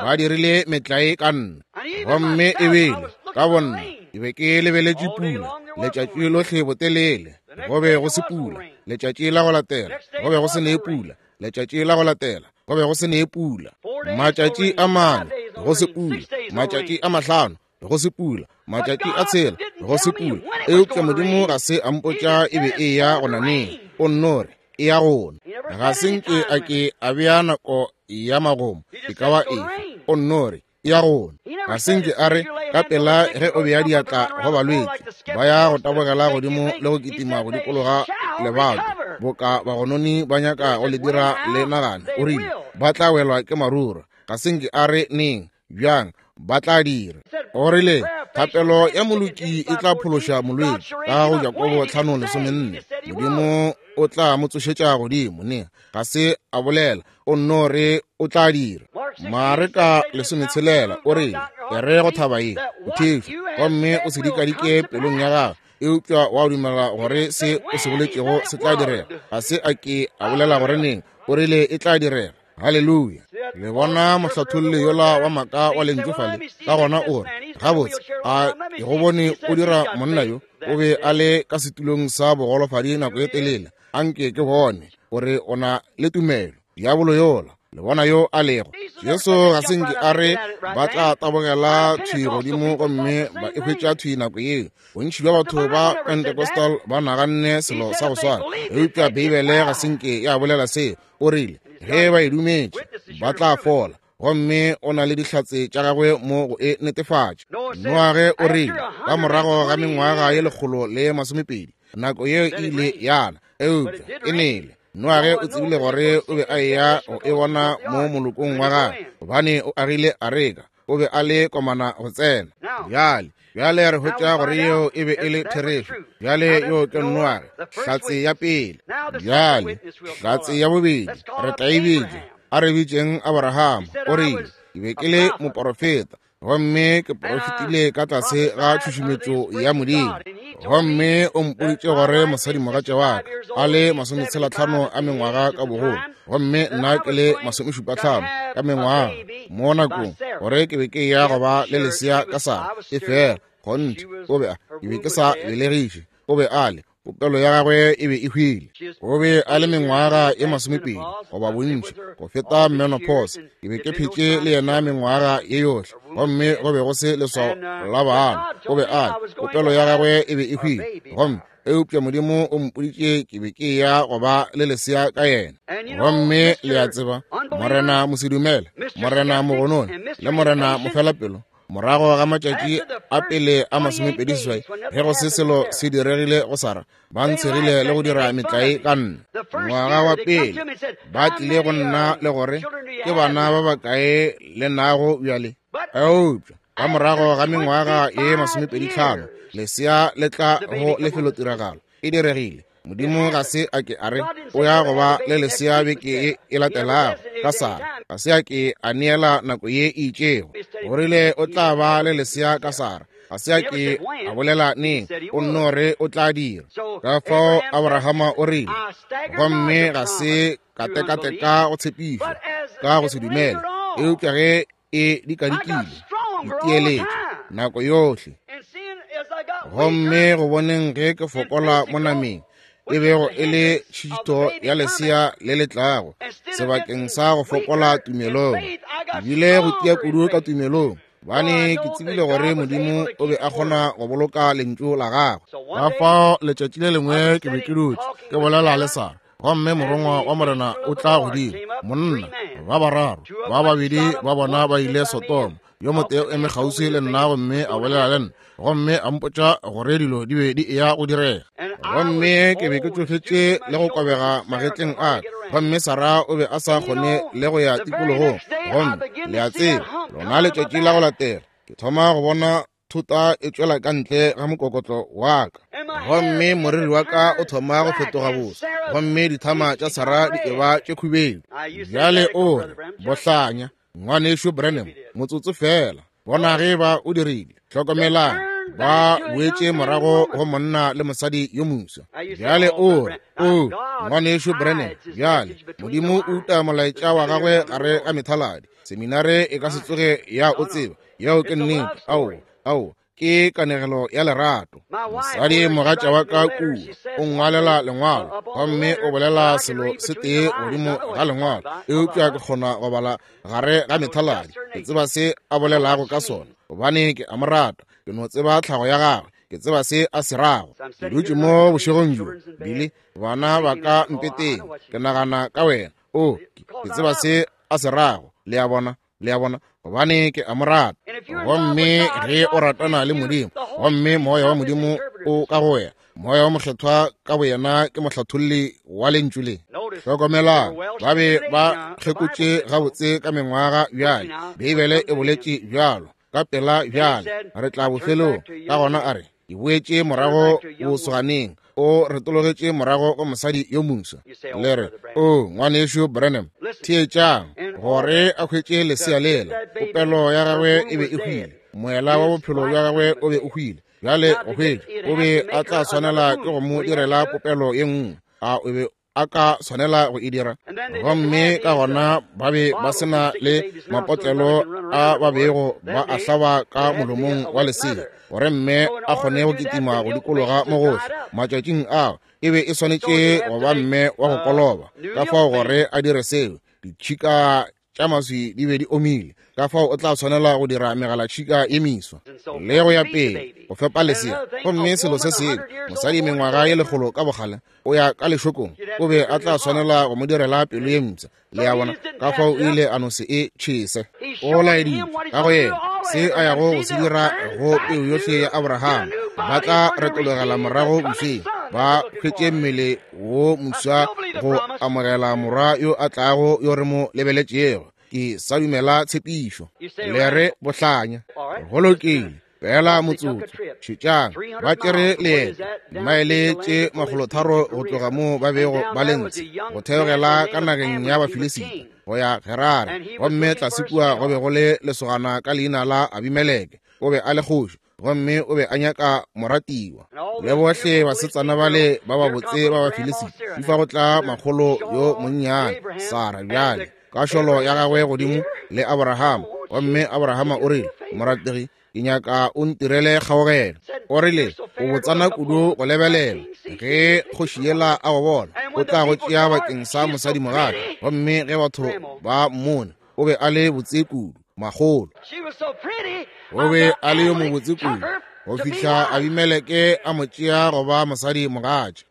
ba dirile metlae ka nna. Gomme ebile ka bonna ke be ke lebeletše pula letšatši lohle botelele, go be go se pula. Letšatši la go latela go be go se ne pula. Letšatši la go latela go be go se ne pula. Matšatši a mane go se pula, matšatši a mahlano go se pula, matšatši a tshela go se pula. Eupša Modimo ga se a mpotša e be e ya go naneng, o nno re e ya gona. Ga se nke a ke a bea nako ya magomo e ka ba efe, o nno re e ya gona. Ga se nke a re ka pela ge o bea diatla go balwetši, ba ya go tabogela godimo le go kitima go dikologa lebato boka bagononi ba nyaka go le dira le nagane. O rile ba tla welwa ke marura. Ga se nke a re neng, bjang, ba tla dira. O rile thapelo ya moloki e tla phološa molwetši, ka go Jakobo tlhano lesomenne. Modimo o tla mo tsošetša godimo. Ne ga se a bolela, o nno re o tla dira. Mareka lesometshelela o rile, e re go thaba ye o thefe, gomme o se dikadike pelong ya gago, eupša wa dumela gore se o se boletšego se tla direga. Ga se a ke a bolela gore neng, o rile e tla direga. Haleluya. Le bona mohlatholli yola wa maaka wa lentšu fale, ka gona o re, gabotse, a ke go bone o dira monna yo, o be a le ka setulong sa bogolofadi nako e telele, anke ke bone gore o na le tumelo. Diabolo yola, le bona yo a lego. Jesu ga se nke a re ba tla tabogela thwi godimo gomme ba e hwetša thwi nako yeo. Bontši bja batho ba Pentecostal ba naganne selo sa go swana, eupša Beibele ga se nke ya bolela seo. O rile ge ba e dumetše ba tla fola, gomme o na le dihlatse tša gagwe mo go e netefatša. Noage o rile ka morago ga mengwaga ye lekgolo le masomepedi, nako yeo e ile yana, eupša e nele. Noage o tsebile gore o be a eya go e bona mo molokong wa gagwe, gobane o agile areka, o be a le komana go tsena. Bjale, bjale re hwetša gore yeo e be e le therešo. Bjale yo ke Noage, hlatse ya pele. Bjale hlatse ya bobedi re tla e bitša, a re bitšeng Abraham. O rile, ke be ke le moporofeta, gomme ke porofetile ka tlase ga tšhušumetšo ya Modimo, gomme o mpoditše gore mosadimogatša wa ka a le masometshelatlhano a mengwaga ka bogolo, gomme nna ke le masomešupatlhano ka mengwaga mo nakong, gore ke be ke ya go ba le lesea ka Sara. E fela kgonthe o be a, ke be ke sa belegiše, o be a le, popelo ya gagwe e be e hwile. O be a le mengwaga e masomepedi goba bontši go feta menopause. Ke be ke phetše le yena mengwaga ye yohle, gomme go be go se leswao la bana. O be a le, popelo ya gagwe e be e hwile, gomme eupša Modimo o mpoditše ke be ke ya go ba le lesea ka yena. Gomme le a tseba, Morena mosedumele, Morena mogonone, le Morena mofelapelo, morago ga matšatši a pele a masomepedi seswai, ge go se selo se diregile go Sara, ba ntshegile le go dira metlae ka nna. Ngwaga wa pele ba tlile go nna le gore ke bana ba bakae le nago bjale. Eupša ka morago ga mengwaga ye masomepedi tlhano, lesea le tla go lefelotiragalo. E diregile. Modimo ga se a ke a re o ya go ba le lesea beke ye e latelago ka Sara. Ga se a ke a neela nako ye e itšego. O rile o tla ba le lesea ka Sara. Ga se a ke a bolela neng, o nno re o tla dira. Ka fao Abrahama o rile, gomme ga se ka tekateka go tshepišwa ka go se dumele, eupša ge e dikadikile, ke tieletše nako yohle. Gomme go boneng ge ke fokola mo nameng, e bego e le tšhito ya lesea le le tlago, sebakeng sa go fokola tumelong, ebile go tia kudu ka tumelong, bane ke tsebile gore Modimo o be a kgona go boloka lentšu la gagwe. Ka fao letšatši le lengwe ke be ke dutše ke bolela le Sara, gomme morongwa wa Morena o tla godimo, monna ba bararo, ba babedi ba bona ba ile Sodoma, yo motee o eme kgauswi le nna gomme a bolela le nna, gomme a mpotša gore dilo di be di eya go direga. Gomme ke be ke tšofetše le go kobega magetleng a ka, gomme Sara o be a sa kgone le go ya tikologong. Gomme le a tseba, lona letšatši la go latela ke thoma go bona thota e tšwela ka ntle ga mokokotlo wa ka, gomme moriri wa ka o thoma go fetoga boso, gomme dithama tša Sara di eba tše khubedu. Bjale o re, bohlanya ngwanešu Branham, motsotso fela, bona ge ba o dirile. Hlokomelang, ba boetše morago go monna le mosadi yo moswa. Bjale o re, o ngwanešu Branham, bjale Modimo o uta molaetša wa gagwe gare ga methaladi. Seminare e ka se tsoge ya o tseba. Yeo ke nnete. Ao, ao, ke kanegelo ya lerato. Mosadi mogatša wa ka kua o ngwalela lengwalo, gomme o bolela selo se tee godimo ga lengwalo, eupša ke kgona go bala gare ga methaladi. Ke tseba se a bolelago ka sona, gobane ke a mo rata. Ke no tseba tlhago ya gagwe, ke tseba se a se rago. Ke dutše mo bošegong bjo, Billy, bana ba ka mpeteng, ke nagana ka wena. O, ke tseba se a se rago. Le a bona, le a bona, gobane ke a mo rata. Gomme ge o ratana le Modimo, gomme moya wa Modimo o ka go wena, moya wa mokgethwa ka boyena ke mohlatholli wa lentšu le. Hlokomelang, ba be ba kgekotše gabotse ka mengwaga bjale. Beibele e boletše bjalo ka pela bjale, re tla bofelong. Ka gona a re, ke boetše morago bosoganeng, o retologetše morago go mosadi yo moswa. Le re, o ngwanešu Branham, theetšang, gore a hwetše lesea lela, popelo ya gagwe e be e hwile, moela wa bophelo bja gagwe o be o hwile. Bjale go hwetša, o be a tla swanela ke go mo direla popelo ye nngwe. A o be a ka swanela go e dira? Gomme ka gona ba be ba se na le mapotlelo a ba bego ba a hlaba ka molomong wa lesea gore mme a kgone go kitima go dikologa mo gohle. Matšatšing ao e be e swanetše go ba mme wa go koloba, ka fao gore a dire seo. Ditšhika tša maswi di be di omile, ka fao o tla tshwanela go dira megalatšhika ye meswa le go ya pele go fepa lesea. Gomme selo se sengwe, mosadi mengwaga ye lekgolo ka bogale o ya ka lešokong, o be a tla tshwanela go mo direla pelo ye mpsha. Le a bona? Ka fao o ile a no se e tšhese. O laeditše ka go yena se a yago go se dira go peu yohle ya Abraham. Ba tla retologela morago bosweng, ba hwetše mmele wo moswa go amogela morwa yo a tlago yo re mo lebeletšego. Ke sa dumela tshepišo. Le re bohlanya. Go lokile. Fela motsotso. Šetšang, ba tšere leeto dimaele tše makgolotharo go tloga moo ba bego ba le ntshe go theogela ka nageng ya Bafilisita go ya Gerare. Gomme tlase kua go be go le lesogana ka leina la Abimeleke. O be a le kgoši, gomme o be a nyaka moratiwa. Le bohle basetsana bale ba babotse ba Bafilisita, di fa go tla makgolo yo monnyane Sara bjale ka šolo ya gagwe godimo le Abraham. Gomme Abrahama o rile, morategi, ke nyaka o ntirele kgaogelo. O rile, o botsana kudu go lebelela. Ge kgoši yela a go bona, o tla go tšea bakeng sa mosadimogatša. Gomme ge batho ba mmone, o be a le botse kudu, makgolo. O be a le yo mobotse kudu go fihla Abimeleke a mo tšea go ba mosadimogatša.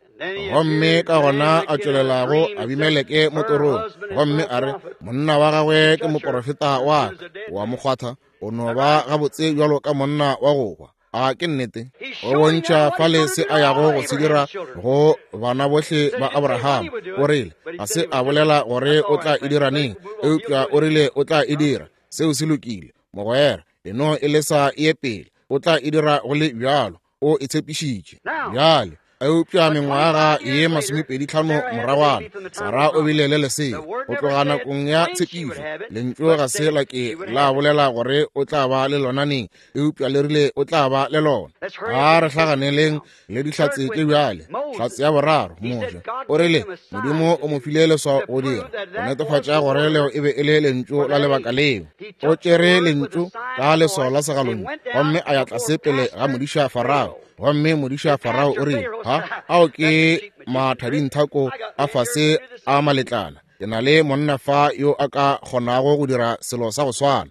Gomme ka gona a tšwelela go Abimeleke mo torong, gomme a re, monna wa gagwe ke moporofeta wa ka. Wa mo kgwatha, o no ba gabotse bjalo ka monna wa go hwa. A ke nnete? O bontšha fale se a yago go se dira go bana bohle ba Abraham. O rile, ga se a bolela gore o tla e dira neng, eupša o rile o tla e dira. Seo se lokile, mogwera. Eno e le sa e ye pele, o tla e dira go le bjalo. O e tshepišitše. Bjale, eupša mengwaga ye masomepedi tlhano moragwana, Sara o bile le lesea go tloga nakong ya tshepišo. Lentšu ga se la ke la bolela gore o tla ba le lona neng, eupša le rile o tla ba le lona. A re hlaganeleng le dihlatse tše bjale. Hlatse ya boraro, Moshe, o rile Modimo o mo file leswao go dira go netefatša gore leo e be e le lentšu la lebaka leo. O tšere lentšu ka leswao la segalontšu gomme a ya tlase pele ga modiša Farao. Gomme modiša Farao o rile, ha, ao ke mathadinthako a fase a maletlana. Ke na le monna fa yo a ka kgonago go dira selo sa go swana.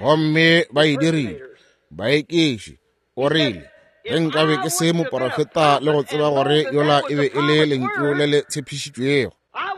Gomme ba e dirile. Baekiši. O rile, ge nkabe ke se moporofeta le go tseba gore yola e be e le lentšu le le tshepišitšwego,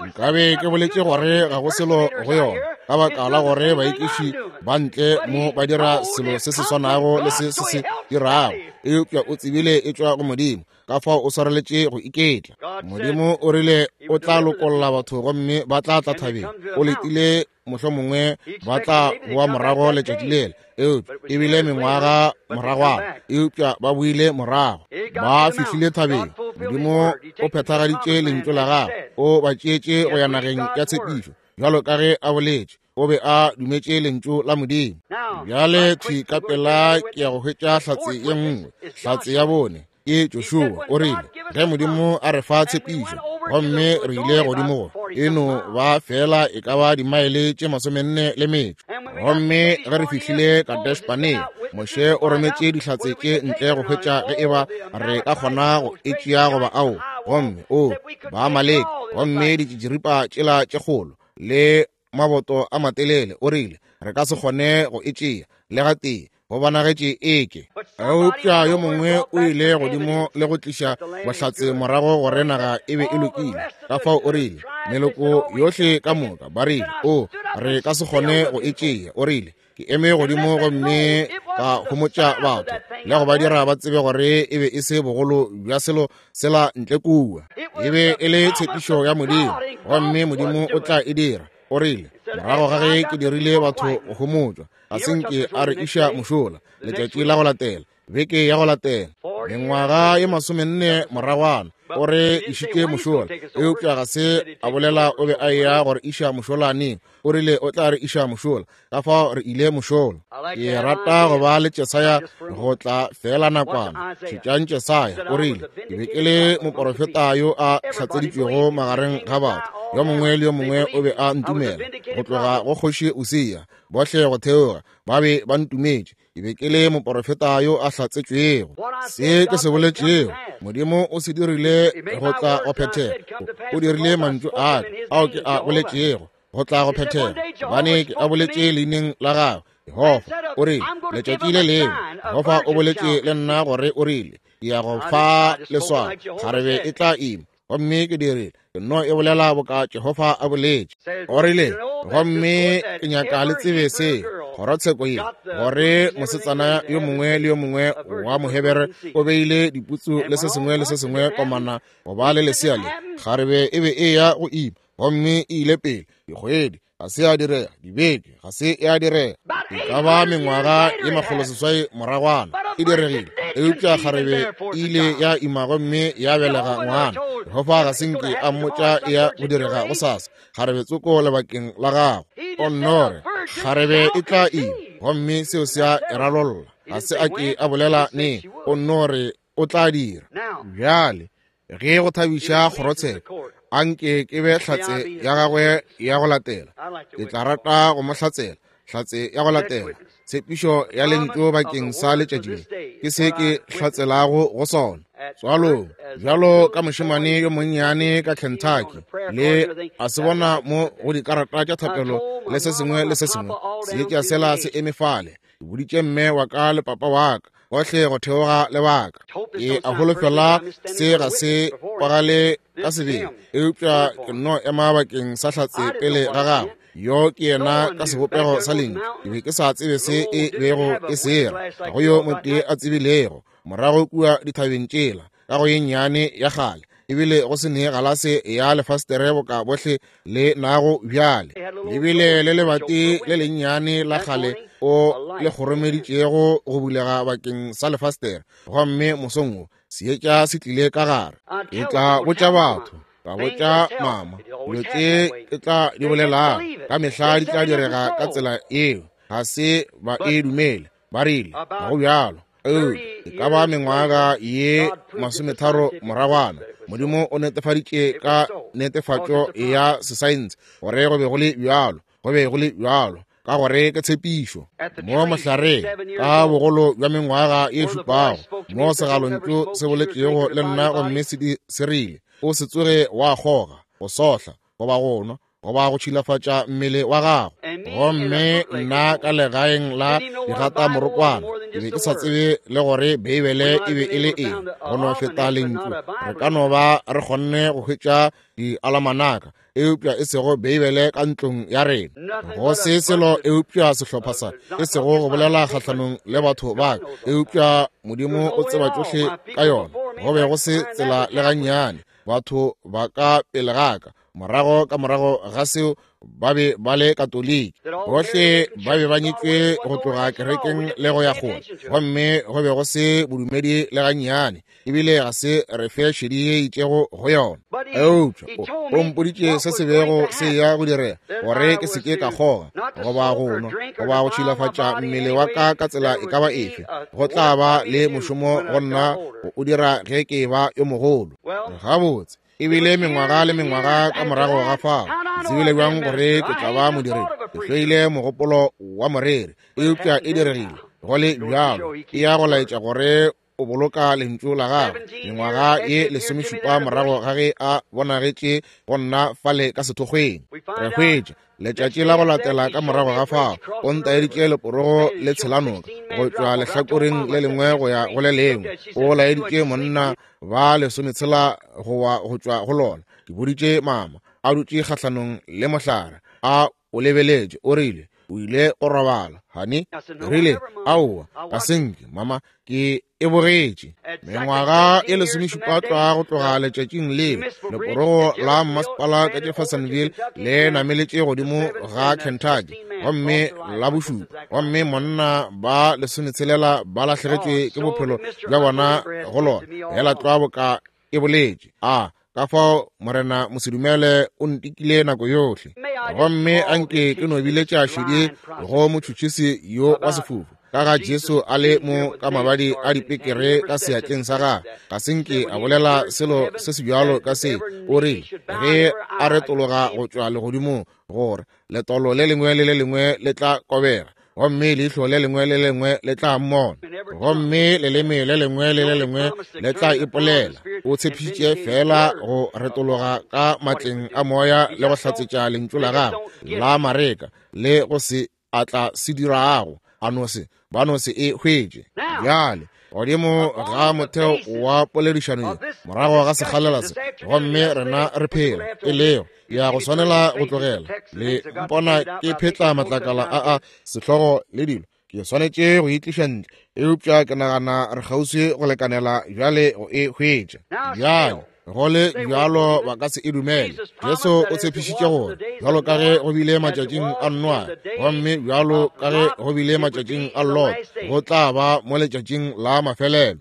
nkabe ke boletše gore ga go selo go yona, ka baka la gore baekiši ba ntle mo ba dira selo se se swanago le se se se dirago. Eupša o tsebile e tšwa go Modimo, ka fao o swareletše go iketla. Modimo o rile o tla lokolla batho gomme ba tla tla thabeng. O letile mohlomongwe ba tla boa morago letšatši lela, eupša e bile mengwaga moragwana, eupša ba boile morago, ba fihlile thabeng. Modimo o phethagaditše lentšu la gagwe, o ba tšeetše go ya nageng ya tshepišo bjalo ka ge a boletše. O be a dumetše lentšu la Modimo. Bjale thwi ka pela ke ya go hwetša hlatse ye nngwe, hlatse ya bone ke Joshua. O rile, ge Modimo a re fa tshepišo, gomme re ile godimo go e no ba fela e ka ba dimaele tše masomenne le metšo. Gomme ge re fihlile Kadesh Barnea, Moshe o rometše dihlatse tše ntle go hwetša ge e ba re ka kgona go e tšea goba ao. Gomme o ba Amaleke, gomme ditšitširipa tšela tše kgolo le maboto a matelele, o rile re ka se kgone go e tšea le gatee, go bonagetše eke. Eupša yo mongwe o ile godimo le go tliša bohlatse morago gore naga e be e lokile. Ka fao o rile meloko yohle ka moka ba rile, o re ka se kgone go e tšea. O rile, ke eme godimo gomme ka homotša batho le go ba dira ba tsebe gore e be e se bogolo bja selo sela ntle kua. E be e le tshepišo ya Modimo, gomme Modimo o tla e dira. O rile, morago ga ge ke dirile batho go homotšwa, ga se nke a re iša mošola letšatši la go latela, beke ya go latela, mengwaga ye masomenne moragwana, O re išitše mošola, eupša ga se a bolela o be a eya gore iša mošola neng. O rile o tla re iša mošola, ka fao re ile mošola. Ke rata go ba le Jesaya go tla fela nakwana. Šetšang Jesaya, o rile, ke be ke le moporofeta yo a hlatseditšwego magareng ga batho. Yo mongwe le yo mongwe o be a ntumela, go tloga go kgoši Usia, bohle go theoga, ba be ba ntumetše. Ke be ke le moporofeta yo a hlatsetšwego. Se ke se boletšego, Modimo o se dirile go tla go phethega. O dirile mantšu a ka ao ke a boletšego go tla go phethega, gobane ke a boletše leineng la gagwe. Jehofa o rile, letšatši le lengwe Jehofa o boletše le nna gore o rile, ke ya go fa leswao, kgarebe e tla ima. Gomme ke dirile, ke no e bolela boka Jehofa a boletše. O rile, gomme ke nyaka le tsebe se, kgorotsheko ye, gore mosetsana yo mongwe le yo mongwe wa Mohebere o beile diputsu le se sengwe le se sengwe komana go ba le lesea le. Kgarebe e be e ya go ima, gomme e ile pele dikgwedi, ga se ya direga, dibeke, ga se ya direga, e ka ba mengwaga ye makgolo seswai moragwana e diregile. Eupša kgarebe e ile ya ima gomme ya belega ngwana. Jehofa ga se nke a mmotša e ya go direga gosasa, kgarebe tsoko lebakeng la gagwe. O nno re kgarebe e tla ima, gomme seo se a e ralolla. Ga se a ke a bolela neng, o nno re o tla dira. Bjale ge go thabiša kgorotsheko, anke ke be hlatse ya gagwe ya go latela. Ke tla rata go mo hlatsela, hlatse ya go latela. Tshepišo ya lentšu bakeng sa letšatši le ke se ke hlatselago go sona. Tswalong, bjalo ka mošemane yo monnyane ka Kentucky, le a se bona mo go dikarata tša thapelo le se sengwe le se sengwe, seetša sela se eme fale. Ke boditše mme wa ka le papa wa ka gohle go theoga lebaka. Ke a holofela se ga se kwagale ka sebele, eupša ke nno ema bakeng sa hlatse pele ga gagwe. Yo ke yena ka sebopego sa lentšu. Ke be ke sa tsebe se e bego e sera, ga go yo motee a tsebilego. Morago kua dithabeng tšela, ka go ye nnyane ya kgale, ebile go se ne galase ya lefastere boka bohle le nago bjale. Lebile le lebati le lennyane la kgale o le kgoromeditšego go bulega bakeng sa lefastere, gomme mosong wo seetša se tlile ka gare. Ke tla botša batho, ka botša mama, dilo tše ke tla di bolelago ka mehla di tla direga ka tsela eo. Ga se ba e dumele, ba rile ga go bjalo. E ka ba mengwaga ye masometharo moragwana, Modimo o netefaditše ka netefatšo ya sesaense gore go be go le bjalo, go be go le bjalo, ka gore ke tshepišo. Mo mohlareng ka bogolo bja mengwaga ye šupago, mo segalontšu se boletšego le nna gomme se rile, o se tsoge wa kgoga, go sohla, goba go nwa, goba go tšhilafatša mmele wa gago. Gomme nna ka legaeng la digata morokwana, ke be ke sa tsebe le gore Beibele e be e le eng, go no feta lentšu. Re ka no ba re kgonne go hwetša dialamanaka, eupša e sego Beibele ka ntlong ya rena. Go se selo eupša sehlopha sa, e sego go bolela kgahlanong le batho ba ka, eupša Modimo o tseba tšohle ka yona. Go be go se tsela le gannyane, batho ba ka pele ga ka, morago ka morago ga seo ba be ba le Katoliki, bohle ba be ba nyetšwe go tloga kerekeng le go ya kgole, gomme go be go se bodumedi le gannyane, ebile ga se re fe šedi ye itšego go yona. Eupša o mpoditše se se bego se ya go direga, gore ke se ke ka kgoga, goba go nwa, goba go tšhilafatša mmele wa ka ka tsela e ka ba efe. Go tla ba le mošomo go nna go o dira ge ke ba yo mogolo. Gabotse, ebile mengwaga le mengwaga ka morago ga fao, tsebile bjang gore ke tla ba modiredi? Ke hloile mogopolo wa moreri, eupša e diregile go le bjalo. E ya go laetša gore o boloka lentšu la gagwe. Mengwaga ye lesomešupa morago ga ge a bonagetše go nna fale ka sethokgweng, re hwetša letšatši la go latela ka morago ga fao o ntaeditše leporogo le tshelanoka go tšwa lehlakoreng le lengwe go ya go le lengwe. O laeditše monna ba lesometshela go wa go tšwa go lona. Ke boditše mama a dutše kgahlanong le mohlare, a o lebeletše, o rile o ile go robala. Honey, rile aowa, ka senke mama, ke e bogetše. Mengwaga e lesomešupa tlwa go tloga letšatšing leo, leporogo la mmasepala ka Jeffersonville le nameletše godimo ga Kentucky, gomme la bošupa, gomme monna ba lesometshelela ba lahlegetšwe ke bophelo bja bona go lona, hela tlwa boka e boletše. A ka fao Morena mosedumele o ntikile nako yohle. Gomme anke ke no biletša šedi go motšhotšhisi yo wa sefufu ka ga Jesu a le mo ka mabadi a dipekere ka seatleng sa gagwe. Ga se nke a bolela selo se se bjalo ka se. O rile ge a retologa go tšwa legodimong gore letolo le lengwe le le lengwe le tla kobega, gomme leihlo le lengwe le lengwe le tla mmona, gomme leleme le lengwe le le lengwe le tla ipolela. O tshepišitše fela go retologa ka matleng a moya le go hlatsetša lentšu la gagwe la Mareka le go se a tla se dirago, a no se ba no se e hwetše. Bjale godimo ga motheo wa poledišano ye morago ga sekgalela se, gomme rena re phela e lego ya go swanela go tlogela le mpona ke phetla matlakala a a sehlogo le dilo, ke swanetše go itliša ntle, eupša ke nagana re kgauswi go lekanela bjale go e hwetša. Bjale go le bjalo ba ka se e dumele. Jesu o tshepišitše gore bjalo ka ge go bile matšatšing a Noa, gomme bjalo ka ge go bile matšatšing a Lot, go tla ba mo letšatšing la mafelelo.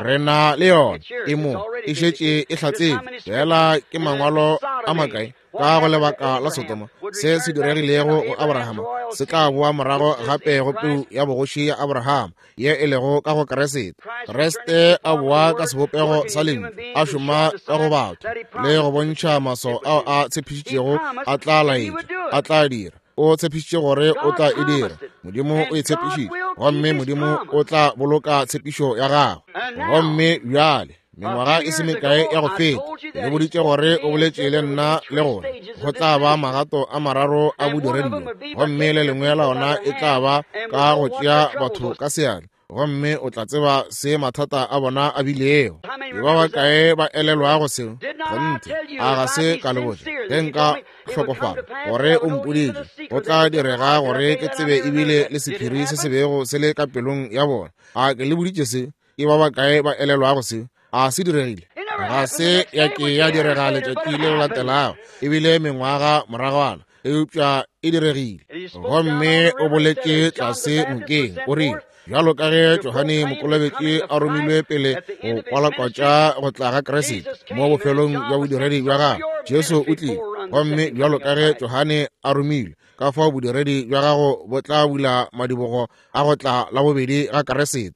Re na le yona e mo e šetše e hlatsetšwe. Fela ke mangwalo a makae ka go lebaka la Sodoma se se diregilego go Abrahama se tla boa morago gape go peu ya bogoši ya Abrahama ye e lego ka go Kriste. Kriste a boa ka sebopego sa lentšu, a šoma ka go batho le go bontšha maswao ao a tshepišitšego a tla laetša, a tla dira. O tshepišitše gore o tla e dira. Modimo o e tshepišitše, gomme Modimo o tla boloka tshepišo ya gagwe. Gomme bjale mengwaga e se mekae ya go feta le boditše gore o boletše le nna le gore go tla ba magato a mararo a bodiredi, gomme le lengwe la ona e tla ba ka go tšea batho ka seatla, gomme o tla tseba se mathata a bona a bilego. Ke ba bakae ba elelwago seo? Kgonthe, a ga se ka le botša ge nka hlokofala gore o mpoditše go tla direga gore ke tsebe ebile le sephiri se se bego se le ka pelong ya bona. A ke le boditše se? Ke ba bakae ba elelwago seo? A se diregile? Ga se ya ke ya direga letšatši le latelago, ebile mengwaga moragwana, eupša e diregile. Gomme o boletše tlase nokeng, o rile bjalo ka ge Johane Mokolobetši a romilwe pele go kwalakwatša go tla ga Kriste mo bofelong bja bodiredi bja gagwe, Jesu o tlile. Gomme bjalo ka ge Johane a romilwe, ka fao bodiredi bja gago bo tla bula madibogo a go tla la bobedi ga Kriste.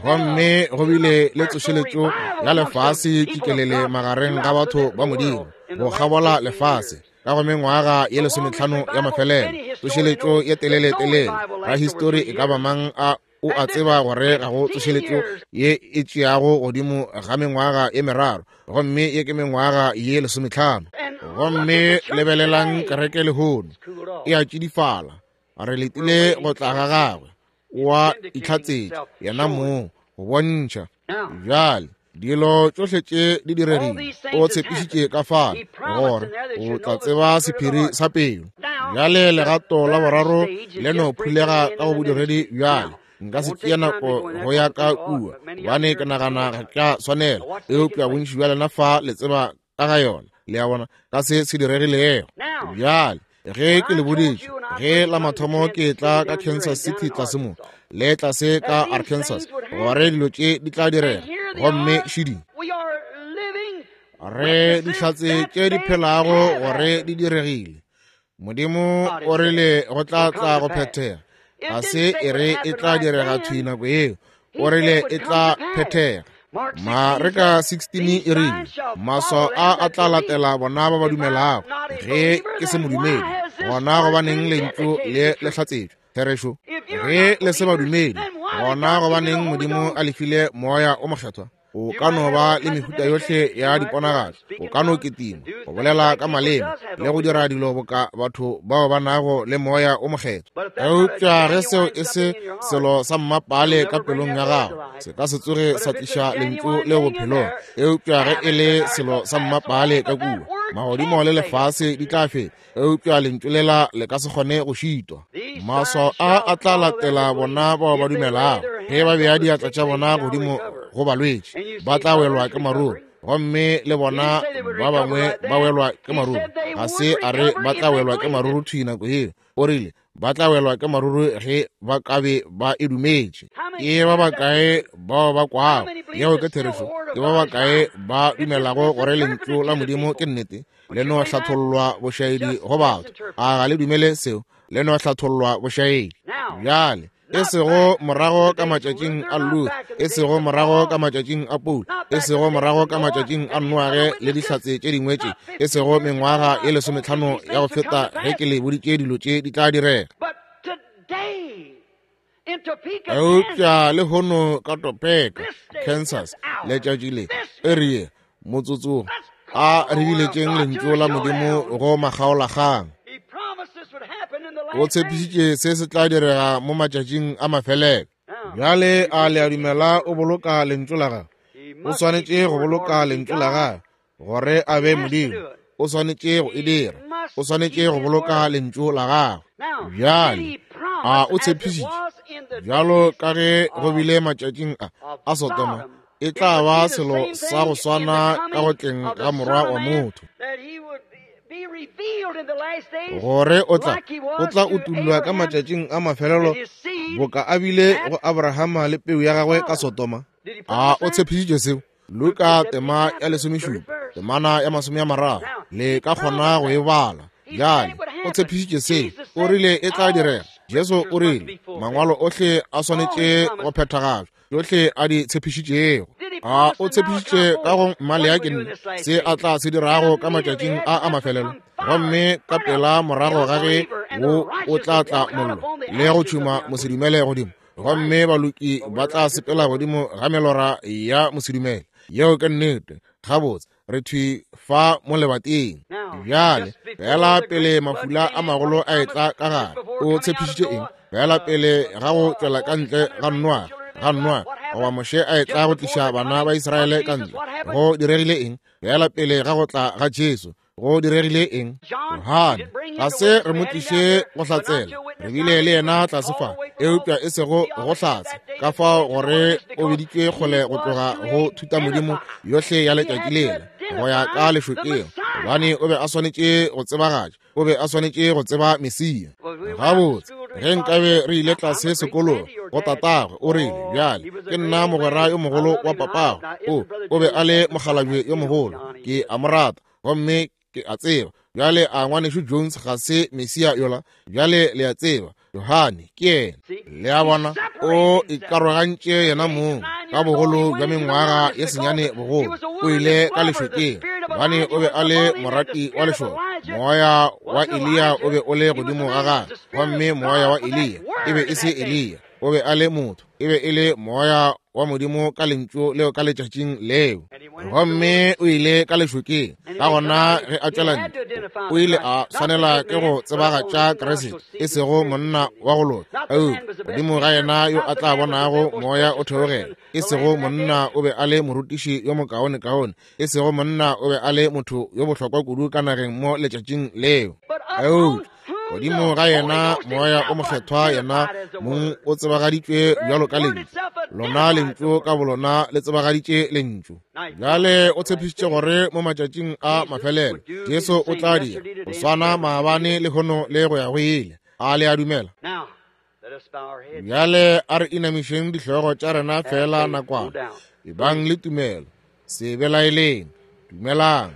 Gomme go bile le tsošeletšo ya lefase tšikelele magareng ga batho ba Modimo go kgabola lefase ka go mengwaga ye lesometlhano ya mafelelo. Tsošeletšo ye telele-telele ga histori e ka ba mang a o a tseba gore ga go tsošeletšo ye e tšeago godimo ga mengwaga ye meraro, gomme ye ke mengwaga ye lesometlhano. Gomme lebelelang kereke lehono e a tšidifala. Re letile go tla ga gagwe, wa itlhatsetša yena mong go bontšha. Bjale dilo tšohle tše di diregile, o tshepišitše ka fale gore o tla tseba sephiri sa pelo. Bjale legato la boraro le no phulega ka go bodiredi. Bjale nka se tšea nako go ya ka kua, gobane ke nagana ga ke a swanela, eupša bontši bja lena fa le tseba ka ga yona, le a bona, ka se se diregilego. Bjale ge ke le boditše ge la mathomo ke tla ka Kansas City tlase mo le tlase ka Arkansas gore dilo tše di tla direga, gomme šidi re dihlatse tše di phelago gore di diregile. Modimo o rile go tla tla go phethega, ga se e re e tla direga thwi nako yeo, o rile e tla phethega. Mareka sixteen e rile maswao a a tla latela bona ba ba dumelago. Ge ke se modumedi, gona gobaneng lentšu le le hlatsetšwe therešo? Ge le se badumedi, gona gobaneng Modimo a le file moya o mokgethwa? O ka no ba le mehuta yohle ya diponagatšo, o ka no ketima, go bolela ka maleme le go dira dilo boka batho bao ba nago le moya o mokgethwa. Eupša ge seo e se selo sa mmapale ka pelong ya gago, se ka se tsoge sa tliša lentšu le bophelong. Eupša ge e le selo sa mmapale ka kua, magodimo le lefase di tla feta, eupša lentšu lela le ka se kgone go šitwa. Maswao a a tla latela bona bao ba dumelago. Ge ba bea diatla tša bona godimo go balwetši, ba tla welwa ke maruru, gomme le bona ba bangwe ba welwa ke maruru. Ga se a re ba tla welwa ke maruru thwi nako yeo, o rile Ba tla welwa ke maruru ge ba ka be ba e dumetše. Ke ba bakae bao ba kwago yeo ke therešo? Ke ba bakae ba dumelago gore lentšu la Modimo ke nnete? Le no hlathollwa bošaedi go batho. A ga le dumele seo? Le no hlathollwa bošaedi. Bjale e sego morago ka matšatšing a Luther, e sego morago ka matšatšing a Paul, e sego morago ka matšatšing a Noage le dihlatse tše dingwe tše, e sego mengwaga ye lesometlhano ya go feta ge ke le boditše dilo tše di tla direga. Eupša lehono ka Topeka, Kansas, letšatši le, eri ye, motsotso, a re biletšeng lentšu la Modimo go makgaolakgang. O tshepišitše se se tla direga mo matšatšing a mafelelo. Bjale a le a dumela o boloka lentšu la gagwe? O swanetše go boloka lentšu la gagwe gore a be Modimo. O swanetše go e dira. O swanetše go boloka lentšu la gagwe. Bjale a o tshepišitše bjalo ka ge go bile matšatšing a a Sodoma, e tla ba selo sa go swana ka go tleng ga Morwa wa motho, gore o tla o tla utullwa ka matšatšing a mafelelo boka a bile go Abrahama le peu ya gagwe ka Sodoma. A o tshepišitše seo? Luka tema ya lesomešupa, temana ya masome a mararo, le ka kgona go e bala. Bjale o tshepišitše seo, o rile e tla direga. Jesu o rile mangwalo ohle a swanetše go phethagatšwa, tšohle a di tshepišitšego. A o tshepišitše ka go Maleaki se a tla se dirago ka matšatšing a a mafelelo, gomme ka pela morago ga ge wo o tla tla mollo le go tšhuma mosedumele godimo, gomme baloki ba tla sepela godimo ga melora ya mosedumele. Yeo ke nnete. Gabotse re thwi fa mo lebateng. Bjale fela pele mafula a magolo a etla ka gare, o tshepišitše eng? Fela pele ga go tšwela ka ntle ga Noa, ga Noa goba Moshe a etla go tliša bana ba Israele ka ntle, go diregile eng? Fela pele ga go tla ga Jesu, go diregile eng? Johane ga se re mo tliše go hlatsela, re bile le yena tlase fa, eupša e sego go hlatse, ka fao gore o biditšwe kgole go tloga go thutamodimo yohle ya letšatši lela go ya ka lešokeng, gobane o be a swanetše go tsebagatša, o be a swanetše go tseba Mesia. Gabotse ge nkabe re ile tlase sekolong go tatagwe, o rile, bjale ke nna mogwera yo mogolo wa papago. O o be a le mokgalabje yo mogolo, ke a mo rata gomme ke a tseba. Bjale a ngwanešu Jones ga se Mesia yola? Bjale le a tseba Johane ke yena. Le a bona, o ikarogantše yena mong ka bogolo bja mengwaga ye senyane bogolo. O ile ka lešokeng gobane o be a le morati wa lešoka. Moya wa Eliya o be o le godimo ga gagwe, gomme moya wa Eliya e be e se Eliya, o be a le motho, e be e le moya wa Modimo ka lentšu leo ka letšatšing leo. Gomme o ile ka lešokeng. Ka gona ge a tšwela ntle, o ile a swanela ke go tsebagatša Kriste, e sego monna wa go loka, eupša godimo ga yena yo a tla bonago moya o theogela. E sego monna o be a le morutiši yo mokaonekaone, e sego monna o be a le motho yo bohlokwa kudu ka nageng mo letšatšing leo, eupša godimo ga yena moya o mokgethwa yena mong o tsebagaditšwe bjalo ka lentšu. Lona lentšu ka bolona le tsebagaditše lentšu. Bjale o tshepišitše gore mo matšatšing a mafelelo Jesu o tla dira go swana maabane lehono le go ya go ile. A le a dumela? Bjale a re inamišeng dihlogo tša rena fela nakwana. Ebang le tumelo, se belaeleng, dumelang.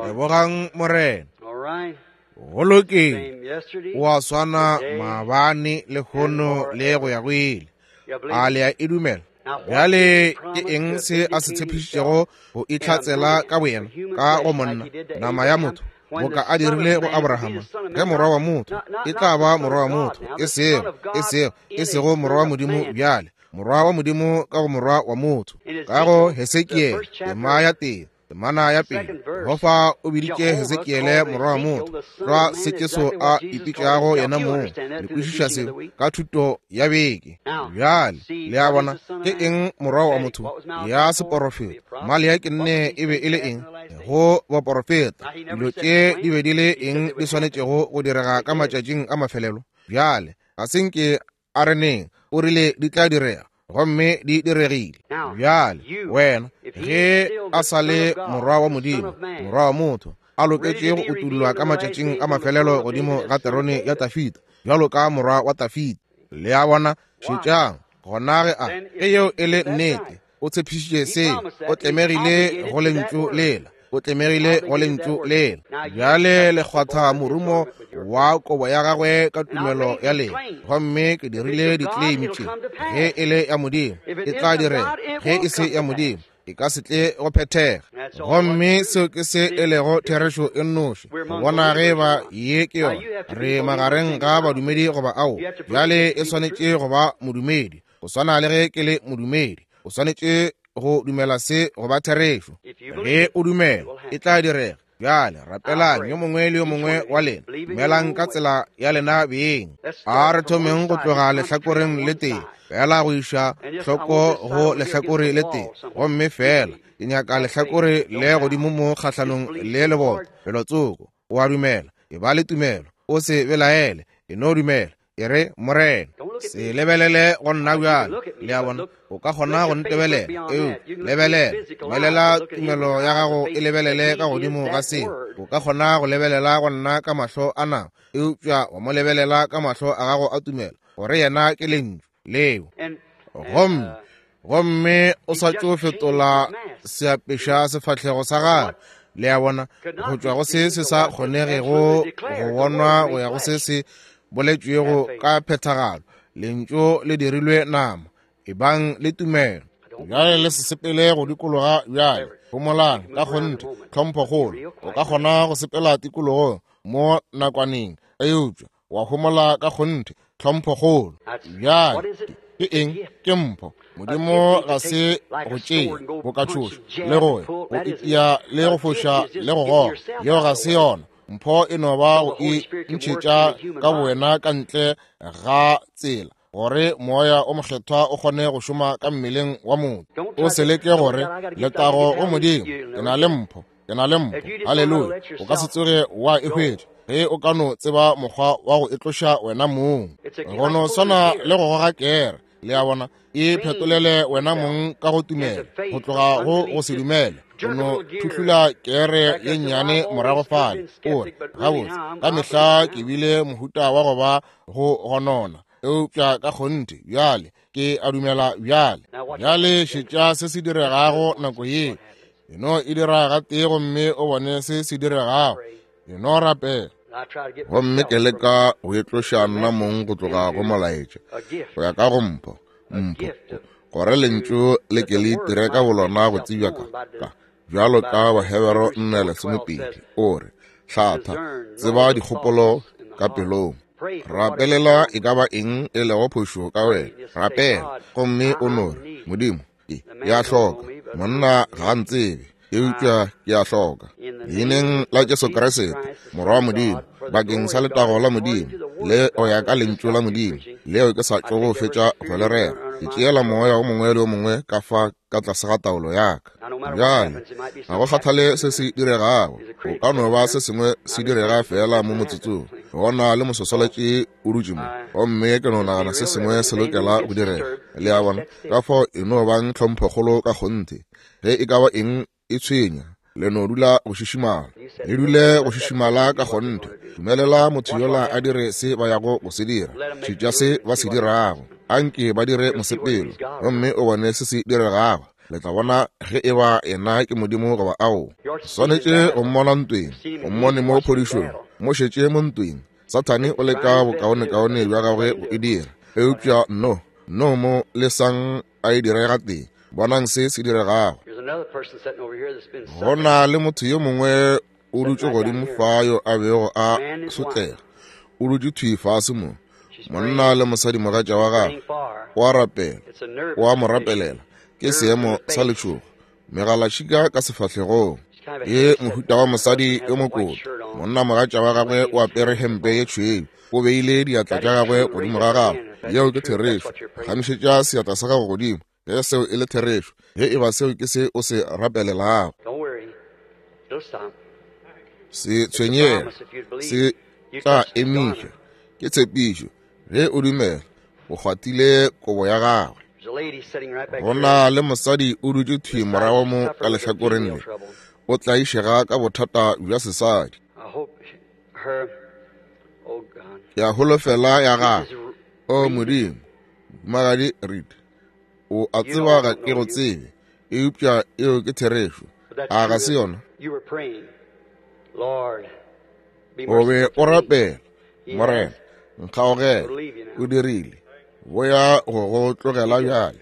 Lebogang Morena. Go lokile, o a swana maabane lehono le go ya go ile. A le a e dumela? Bjale ke eng se a se tshepišitšego go itlhatsela ka boyena ka go monna, nama ya motho, boka a dirile go Abrahama? Ge morwa wa motho e tla ba morwa wa motho, e sego e sego e sego morwa wa Modimo, bjale morwa wa Modimo ka go morwa wa motho. Ka go Hesekiele tema ya tee, Temana ya pele, Jehofa o biditše Hesekiele morwa wa motho, tlwa se Jesu a ipitšago yena mong. Le kwešiša seo ka thuto ya beke. Bjale le a bona ke eng morwa wa motho ya seporofeta? Maleaki nne e be e le eng go baporofeta? Dilo tše di be di le eng di swanetšego go direga ka matšatšing a mafelelo? Bjale ga se nke a re neng, o rile di tla direga, gomme di diregile. Bjale wena ge a sa le morwa wa Modimo, morwa wa motho, a loketše go utullwa ka matšatšing a mafelelo godimo ga terone ya Tafita, bjalo ka morwa wa Tafita. Le a bona? Šetšang gona ge a ge yeo e le nnete, o tshepišitše seo, o tlemegile go lentšu lela, o tlemegile go lentšu lela. Bjale le kgwatha morumo wa kobo ya gagwe ka tumelo ya lena, gomme ke dirile ditleimi tše. Ge e le ya Modimo, e tla direga. Ge e se ya Modimo, e ka se tle go phethega. Gomme seo ke se e lego therešo e nnoši. Go bona ge ba ye ke yona, re magareng ga badumedi goba ao. Bjale e swanetše go ba modumedi, go swana le ge ke le modumedi. O swanetše go dumela se go ba therešo. Ge o dumela, e tla direga. Bjale rapelang yo mongwe le yo mongwe wa lena, dumelang ka tsela ya lena beng. A re thomeng go tloga lehlakoreng le tee fela go iša hloko go lehlakore le tee, gomme fela ke nyaka lehlakore le godimo mo kgahlanong le lebota felotsoko. O a dumela, e ba le tumelo, o se belaele, e no dumela. E re, Morena, se lebelele go nna bjale. Le a bona? O ka kgona go ntebelela, eo lebelela, dumelela tumelo ya gago e lebelele ka godimo ga seo. O ka kgona go lebelela go nna ka mahlo a nama, eupša wa mo lebelela ka mahlo a gago a tumelo, gore yena ke lentšu leo. Gomme gomme o sa tšo fetola seapeša sefahlego sa gagwe. Le a bona? Go tšwa go se se sa kgonegego go bonwa go ya go se se boletšwego ka phethagalo. Lentšu le dirilwe nama. Ebang le tumelo. Bjale le se sepele go dikologa bjale. Homolang ka kgonthe, tlhomphokgolo. O ka kgona go sepela tikologong mo nakwaneng, eupša wa homola ka kgonthe, tlhomphokgolo. Bjale ke eng? Ke mpho. Modimo ga se go tšea boka tšhoša le go go itia le go foša le go goga. Yeo ga se yona. Mpho e no ba go e ntšhetša ka bowena ka ntle ga tsela, gore moya o mokgethwa o kgone go šoma ka mmeleng wa motho. O se leke gore letago go Modimo, ke na le mpho, ke na le mpho, haleluya. O ka se tsoge wa e hwetša ge o ka no tseba mokgwa wa go e tloša wena mong. Go no swana le go goga kere. Le a bona? E phetolele wena mong ka go tumela, go tloga go go se dumele. O no thuhlula kere ye nnyane morago fale. O re, gabotse, ka mehla ke bile mohuta wa go ba go gonona, eupša ka kgonthe bjale ke a dumela bjale. Bjale šetša se se diregago nako ye. E no e dira gatee gomme o bone se se diregago. E no rapela. Gomme ke leka go e tloša nna mong go tloga go molaetša, go ya ka go mpho, mpho, gore lentšu le ke le itire ka bolona go tsebja ka ka bjalo ka Bahebero nne lesomepedi. O re, hlatha, tseba dikgopolo ka pelong. Rapelela e ka ba eng e lego phošo ka wena. Rapela, gomme o no re, Modimo, ke ya hloka, monna ga a ntsebe, eupša ke a hloka. Leineng la Jesu Kriste, Morwa wa Modimo, bakeng sa letago la Modimo, le go ya ka lentšu la Modimo leo ke sa tšogo fetša go le rera, ke tšeela moya o mongwe le o mongwe ka fa ka tlase ga taolo ya ka. Bjale ga go kgathale se se diregago, go ka no ba se sengwe se direga fela mo motsotsong. Gona le mososoletše o dutše mo, gomme ke no nagana se sengwe se lokela go direga. Le a bona? Ka fao e no bang tlhomphokgolo ka kgonthe. Ge e ka ba eng e tshwenya, le no dula go šišimala, le dule go šišimala ka kgonthe. Dumelela motho yola a dire se ba yago go se dira, šetša se ba se dirago. Anke ba dire mosepelo, gomme o bone se se diregago. Le tla bona ge e ba yena ke Modimo goba ao. Swanetše go mmona ntweng, o mmone mo phodišong, mo šetše mo ntweng. Sathane o leka bokaonekaone bja gagwe go e dira, eupša no, no mo lesang a e dire gatee. Bonang se se diregago. Go na le motho yo mongwe o dutše godimo fa yo a bego a sotlega, o dutše thwi fase mo, monna le mosadi mogatša wa gagwe, o a rapela, o a mo rapelela. Ke seemo sa letšhogo, Megalatšhika ka sefahlegong. Ye mohuta wa mosadi yo mokoto. Monna mogatša wa gagwe o apere hempe ye tšhweu. O beile diatla tša gagwe godimo ga gagwe. Yeo ke therešo. Phagamišetša seatla sa gago godimo. Ge seo e le therešo, ge e ba seo ke se o se rapelelago. Se tshwenyege, se tla emiša. Ke tshepišo. Ge o dumela, o kgwathile kobo ya gagwe. Go na le mosadi o dutše thwi morago mo ka lehlakoreng le. O tlaišega ka bothata bja sesadi. Ke a holofela ya gagwe. O Modimo, Mohumagadi Reed, o a tseba ga ke go tsebe, eupša eo ke therešo. A ga se yona? O be o rapela, Morena, nkgaogele. O dirile. Boya go go tlogela bjale.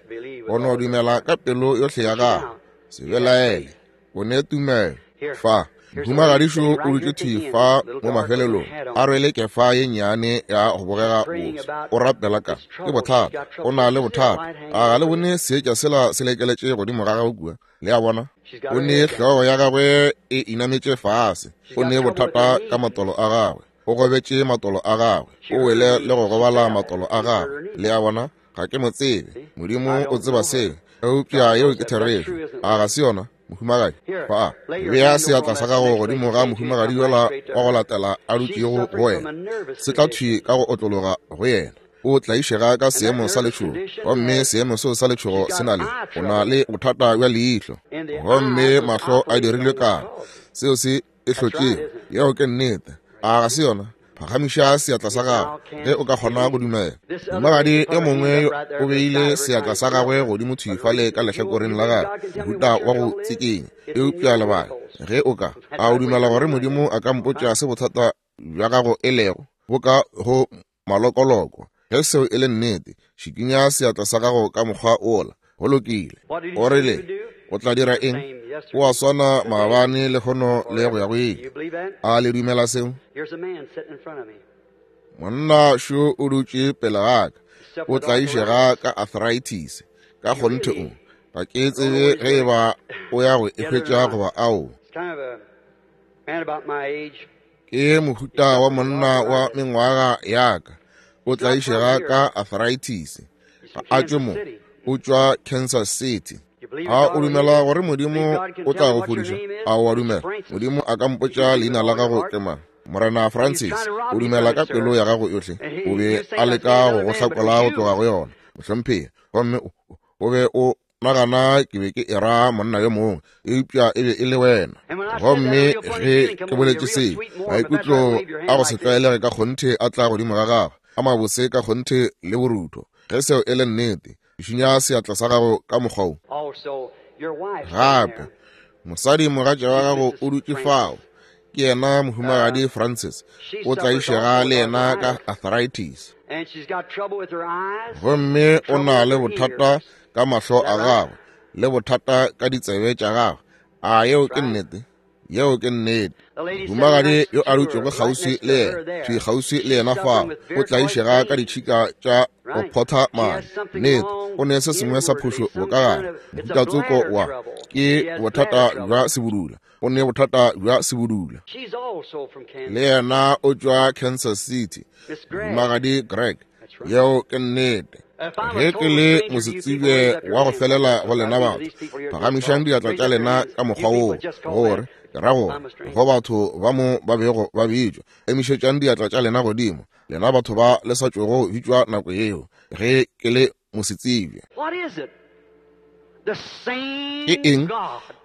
O no dumela ka pelo yohle ya gago. Se belaele. O ne tumelo. Fa, mohumagadišo o dutše thwi fa mo mafelelong, a rwele kefa ye nnyane ya go bogega botse. O rapela ka ke bothata. O na le bothata. A ga le bone seetša sela se lekeletše godimo ga gagwe kua? Le a bona? O ne hlogo ya gagwe e inametše fase. O ne bothata ka matolo a gagwe. O gobetše matolo a gagwe. O wele le go gobala matolo a gagwe. Le a bona? Ga ke mo tsebe. Modimo o tseba seo. Eupša yeo ke therešo. A ga se yona, mohumagadi? Fa, bea seatla sa gago godimo ga mohumagadi yola wa go latela a dutšego go wena. Se tla thwi ka go otlologa go yena. O tlaišega ka seemo sa letšhogo, gomme seemo seo sa letšhogo se na le o na le bothata bja leihlo, gomme mahlo a dirilwe karo. Seo se e hlotšego. Yeo ke nnete. A ga se yona? Phagamiša seatla sa gago ge o ka kgona go dumela. Mohumagadi yo mongwe o beile seatla sa gagwe godimo thwi fale ka lehlakoreng la gagwe, mohuta wa go tsikinya. Eupša lebala, ge o ka, a o dumela gore Modimo a ka mpotša se bothata bja gago e lego, bo ka go malokoloko? Ge seo e le nnete, šikinya seatla sa gago ka mokgwa ola. Go lokile. O rile o tla dira eng? O a swana maabane lehono le go ya go ile. A le dumela seo? Monna šo o dutše pele ga ka. O tlaišega ka arthritis. Ka kgonthe o. Ga ke tsebe ge e ba o ya go e hwetša goba ao. Ke mohuta wa monna wa mengwaga ya ka. O tlaišega ka arthritis. Ga a tšwe mo. O tšwa Kansas City. A o dumela gore Modimo o tla go fodiša? A o a dumela? Modimo a ka mpotša leina la gago ke mang? Morena Francis, o dumela ka pelo ya gago yohle? O be a leka go go hlakola go tloga go yona, mohlomphegi. Gomme o be o nagana ke be ke era monna yo mongwe, eupša e be e le wena. Gomme ge ke boletše se, maikutlo a go se tlwaelege ka kgonthe a tla godimo ga gagwe, a mabose ka kgonthe le borutho. Ge seo e le nnete, šinya seatla sa gago ka mokgwa wo. Gape, mosadi mogatša wa gago o dutše fao. Ke yena mohumagadi Francis. O tlaišega le yena ka arthritis. Gomme o na le bothata ka mahlo a gagwe, le bothata ka ditsebe tša gagwe. A yeo ke nnete? Yeo ke nnete. Mohumagadi yo a dutšego kgauswi le yena, thwi kgauswi le yena fao, o tlaišega ka ditšhika tša go photha madi. Nnete, o ne se sengwe sa phošo bokagare. Mohuta tsoko wa ke bothata bja sebudula. O ne bothata bja sebudula. Le yena o tšwa Kansas City. Mohumagadi Greg. Yeo ke nnete. Ge ke le mosetsebje wa go felela go lena batho, phagamišang diatla tša lena ka mokgwa woo, gore ke ra gore go batho ba mo ba bego ba bitšwa. Emišetšang diatla tša lena godimo, lena batho ba le sa tšwego bitšwa nako yeo, ge ke le mosetsebje. Ke eng?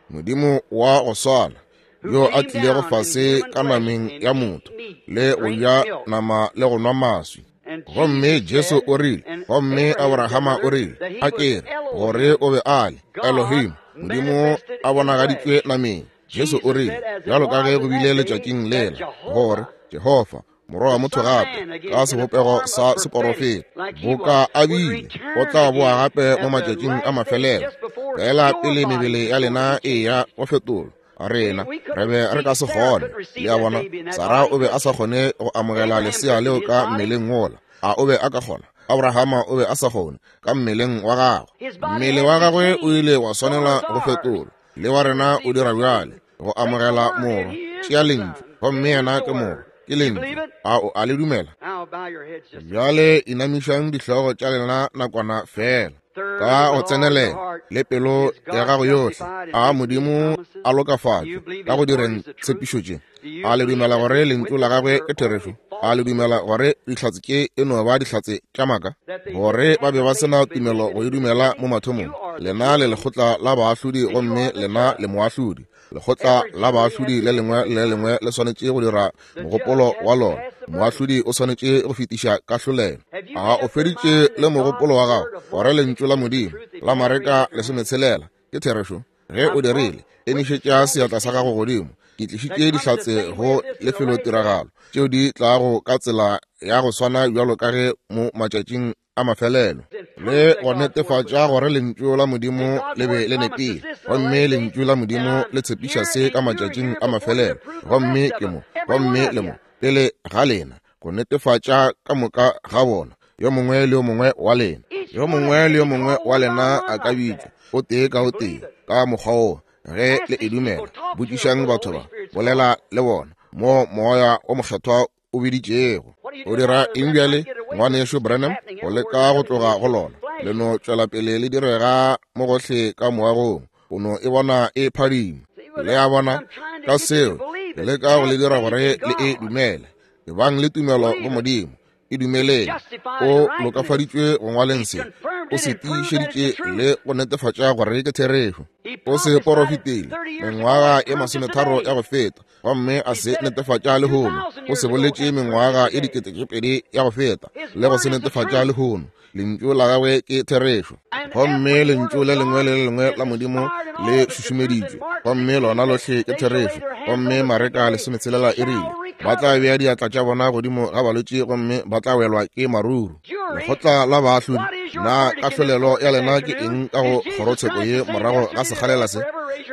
Modimo wa go swana yo a tlilego fase ka nameng ya motho, le go ja nama le go nwa maswi. Gomme Jesu o rile, gomme Abrahama o rile, a ke re gore o be a le Elohim, Modimo a bonagaditšwe nameng. Jesu o rile, bjalo ka ge go bile letšatšing lela, gore Jehofa morwa wa motho gape ka sebopego sa seporofeta, boka a bile, o tla boa gape mo matšatšing a mafelelo. Fela pele mebele ya lena e ya go fetolwa, rena re be re ka se kgone. Le a bona, Sara o be a sa kgone go amogela lesea leo ka mmeleng wola. A o be a ka kgona? Abrahama o be a sa kgone ka mmeleng wa gagwe. Mmele wa gagwe o ile wa swanela go fetolwa. Le wa rena o dira bjale go amogela Morwa. Tšea Lentšu, gomme yena ke Morwa, ke Lentšu. A o a le dumela? Bjale inamišang dihlogo tša lena nakwana fela ka go tsenelela le pelo ya gago yohle. A Modimo a lokafatšwe ka go direng tshepišo tše. A le dumela gore lentšu la gagwe ke therešo? A le dumela gore dihlatse tše e no ba dihlatse tša maaka, gore ba be ba se na tumelo go e dumela mo mathomong? Lena le lekgotla la baahlodi, gomme lena le moahlodi. Lekgotla la baahlodi le lengwe le lengwe le swanetše go dira mogopolo wa lona. Moahlodi o swanetše go fetiša kahlolelo. A o feditše le mogopolo wa gago gore lentšu la Modimo la Mareka lesometshelela ke therešo? Ge o dirile, emišetša seatla sa gago godimo. Ke tlišitše dihlatse go lefelotiragalo tšeo di tlago ka tsela ya go swana bjalo ka ge mo matšatšing a mafelelo, le go netefatša gore lentšu la Modimo le be le nepile, gomme lentšu la Modimo le tshepiša se ka matšatšing a mafelelo. Gomme ke mo, gomme le mo pele ga lena go netefatša ka moka ga bona, yo mongwe le yo mongwe wa lena. Yo mongwe le yo mongwe wa lena a ka bitšwa o tee ka o tee ka mokgwa wo ge le e dumela. Botšišang batho ba, bolela le bona mo Moya o Mokgethwa o biditšego. O dira eng bjale, ngwanešu Branham? Go leka go tloga go lona. Le no tšwela pele le direga mo gohle ka moagong. O no e bona e phadima. Le a bona ka seo ke leka go le dira gore le e dumele. Ebang le tumelo go Modimo, e dumeleng. O lokafaditšwe go ngwaleng se, o se tiišeditše le go netefatša gore ke therešo. O se porofetile mengwaga e masometharo ya go feta, gomme a se netefatša lehono. O se boletše mengwaga e dikete tše pedi ya go feta, le go se netefatša lehono. Lentšu la gagwe ke therešo, gomme lentšu le lengwe le le lengwe la Modimo le šušumeditšwe, gomme lona lohle ke therešo. Gomme Mareka lesometshelela e rile ba tla bea diatla tša bona godimo ga balwetši, gomme ba tla welwa ke maruru. Lekgotla la baahlodi, na kahlolelo ya lena ke eng ka go kgorotsheko ye morago ga sekgalela se?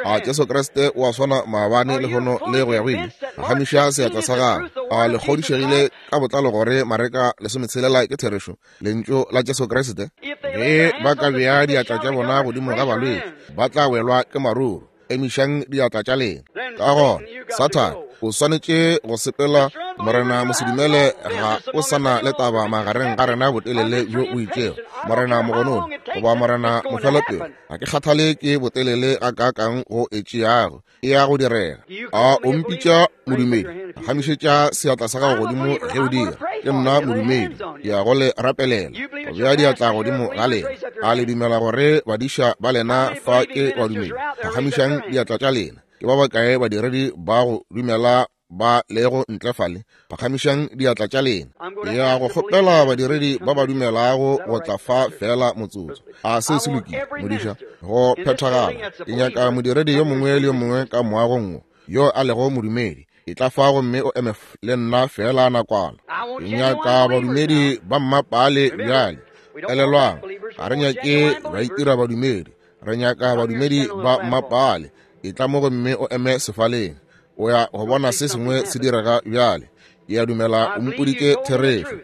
A Jesu Kriste o a swana maabane, lehono le go ya go ile? Phagamiša seatla sa gago. A le kgodišegile ka botlalo gore Mareka lesometshelela ke therešo, lentšu la Jesu Kriste? Ge ba ka bea diatla tša bona godimo ga balwetši, ba tla welwa ke maruru. Emišang diatla tša lena. Ka gona Sathane o swanetše go sepela. Morena mosedumele ga o sana le taba magareng ga rena botelele bjo o itšego. Morena mogononi goba morena mofelopele, ga ke kgathale ke botelele ga kaakang go e tšeago, e ya go direga. A o mpitša modumedi? Phagamišetša seatla sa gago godimo ge o dira. Ke nna modumedi, ke ya go le rapelela, go bea diatla godimo ga lena. A le dumela gore badiša ba lena fa ke badumedi? Phagamišang diatla tša lena. Ke ba bakae badiredi ba go dumela ba lego ntle fale? Phagamišang diatla tša lena. Ke ya go kgopela badiredi ba ba dumelago go tla fa fela motsotso. A se se lokile, modiša? Go phethagala. Ke nyaka modiredi yo mongwe le yo mongwe ka moagong wo yo a lego modumedi. E tla fa gomme o eme le nna fela nakwana. Ke nyaka badumedi ba mmapale bjale. Elelwang, ga re nyake ba itira badumedi, re nyaka badumedi ba mmapale. E tla mo gomme o eme sefaleng. O ya go bona se sengwe se direga bjale. Ke a dumela o mpoditše therešo.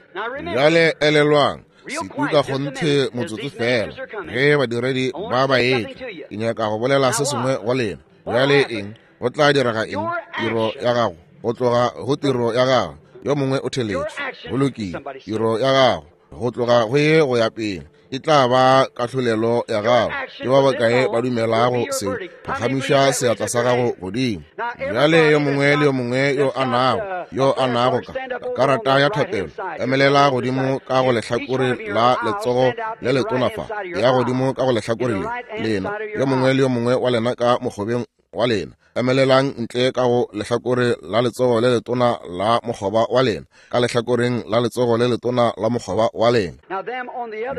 Bjale elelwang, sekuka kgonthe motsotso fela ge badiredi ba ba etla. Ke nyaka go bolela se sengwe go lena. Bjale eng? Go tla direga eng? Tiro ya gago, go tloga go tiro ya gago, yo mongwe o theletše. Go lokile. Tiro ya gago, go tloga go ye go ya pele, e tla ba kahlolelo ya gago. Ke ba bakae ba dumelago se? Phagamiša seatla sa gago godimo. Bjale yo mongwe le yo mongwe yo a nago, yo a nago ka karata ya thapelo, emelela godimo ka go lehlakore la letsogo le letona fa, ya godimo ka go lehlakore le lena. Yo mongwe le yo mongwe wa lena ka mokgobeng wa lena, emelelang ntle ka go lehlakore la letsogo le letona la mokgoba wa lena, ka lehlakoreng la letsogo le letona la mokgoba wa lena.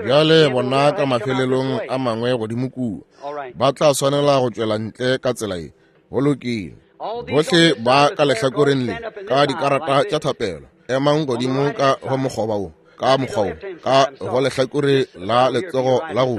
Bjale bona ka mafelelong a mangwe godimo kua ba tla swanela go tšwela ntle ka tsela ye. Go lokile. Bohle ba ka lehlakoreng le ka dikarata tša thapelo, emang godimo ka go mokgoba wo, ka mokgwa wo, ka go lehlakore la letsogo la go,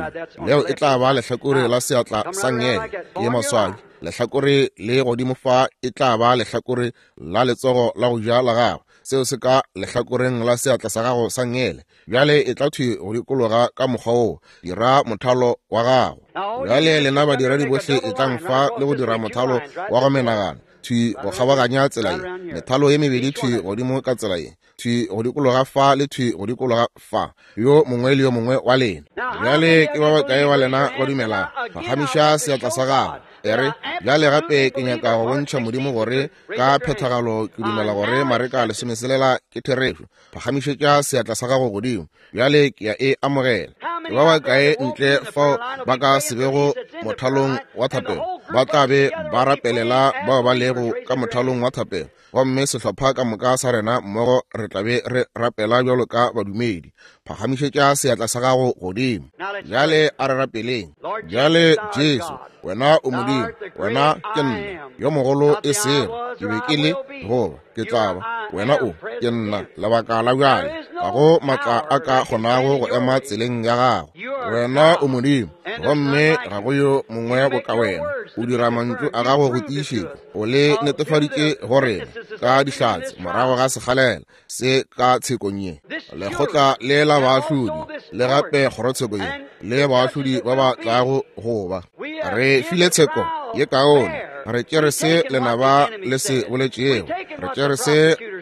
leo e tla ba lehlakore la seatla sa ngele ye maswabi. Lehlakore le godimo fa e tla ba lehlakore la letsogo la go ja la gago, Seo se ka lehlakoreng la seatla sa gago sa ngele. Bjale e tla thwi go dikologa ka mokgwa wo, dira mothalo wa gago. Bjale lena badiredi bohle e tlang fa le go dira mothalo wa go menagana, thwi go kgabaganya tsela ye, methalo ye mebedi thwi godimo ka tsela ye, thwi go dikologa fa le thwi go dikologa fa, yo mongwe le yo mongwe wa lena. Bjale ke ba bakae wa lena ba dumelago? Phagamiša seatla sa gago. E re, bjale gape ke nyaka go bontšha Modimo gore ka phethagalo ke dumela gore Mareka lesomeselela ke therešo. Phagamišetša seatla sa gago godimo. Bjale ke ya e amogela. Ke ba bakae ntle fao ba ka se bego mothalong wa thapelo? Ba tla be ba rapelela bao ba lego ka mothalong wa thapelo, gomme sehlopha ka moka sa rena mmogo re tla be re rapela bjalo ka badumedi. Phagamišetša seatla sa gago godimo. Bjale a re rapeleng. Bjale Jesu, wena o Modimo, wena ke nna yo mogolo, e sego ke be ke le goba ke tla ba, wena o ke nna lebaka la bjale. Ga go maatla a ka kgonago go ema tseleng ya gago. Wena o Modimo, gomme ga go yo mongwe boka wena. O dira mantšu a gago go tiišetša, o le netefaditše go rena ka dihlatse morago ga sekgalela se ka tshekong ye. Lekgotla le la baahlodi le gape kgorotsheko ye le baahlodi ba ba tlago go ba. Re file tsheko ye kaone. Re tšere se lenaba le se boletšego, re tšere se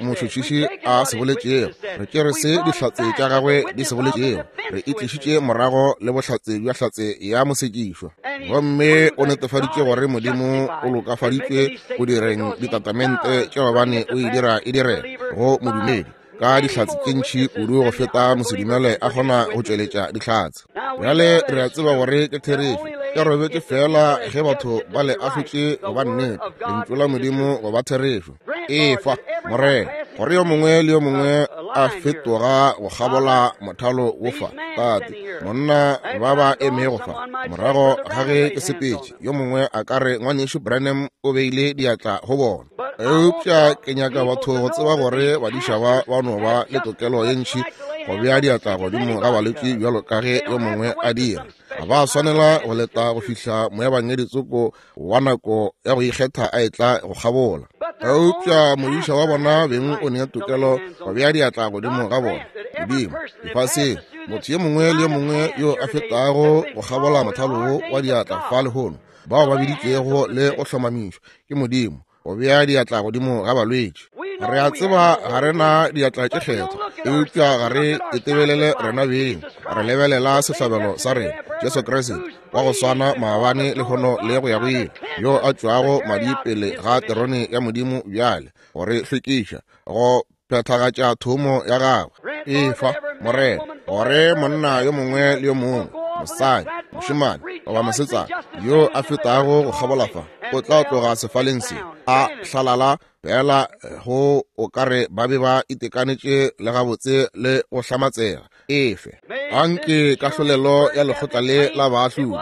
motšhotšhiši a se boletšego, re tšere se dihlatse tša gagwe di se boletšego, re itlišitše morago le bohlatse bja hlatse ya mosekišwa. Gomme o netefaditše gore Modimo o lokafaditšwe go direng ditatamente tša gobane o e dira e dire go modumedi ka dihlatse tše ntši kudu go feta mosedumele a kgona go tšweletša dihlatse. Bjale re a tseba gore ke therešo. Ke robetše fela ge batho ba le ahlotše go ba nnete, lentšu la Modimo go ba therešo. Efa, Morena, gore yo mongwe le yo mongwe a fetoga go kgabola mothalo wo fa. Tate, monna ba ba emego fa morago ga ge ke sepetše, yo mongwe a ka re ngwanešu Branham o beile diatla go bona. Eupša ke nyaka batho go tseba gore badiša ba ba no ba le tokelo ye ntši go bea diatla godimo ga balwetši bjalo ka ge yo mongwe a dira. Ga ba swanela go leta go fihla moebangedi tsoko wa nako ya go ikgetha a etla go kgabola. Eupša modiša wa bona beng o nea tokelo go bea diatla godimo ga bona. Modimo, lefaseng, motho yo mongwe le yo mongwe yo a fetago go kgabola mothalo wo wa diatla fa lehono, bao ba biditšwego le go hlomamišwa ke Modimo go bea diatla godimo ga balwetši. Re a tseba ga re na diatla tše kgethwa, eupša ga re itebelele rena beng, re lebelela sehlabelo sa rena, Jesu Kriste, wa go swana maabane lehono le go ya go ile, yo a tšwago madi pele ga terone ya Modimo bjale go re hlwekiša, go phethagatša thomo ya gagwe. Efa, Morena, gore monna yo mongwe le yo mongwe, mosadi, mošemane goba mosetsana yo a fetago go kgabola fa, o tla tloga sefaleng se a hlalala fela go o ka re ba be ba itekanetše le gabotse le go hlamatsega. Efe, anke kahlolelo ya lekgotla le la baahlodi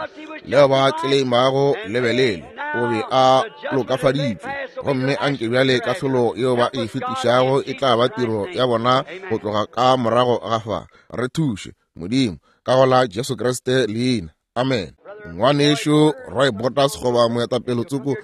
leo ba tleleimago lebelele o be a lokafaditšwe, gomme anke bjale kahlolo yeo ba e fetišago e tla ba tiro ya bona go tloga ka morago ga fa. Re thuše, Modimo, ka go la Jesu Kriste leina. Amen. Ngwanešu Roy Borders goba moetapele tsoko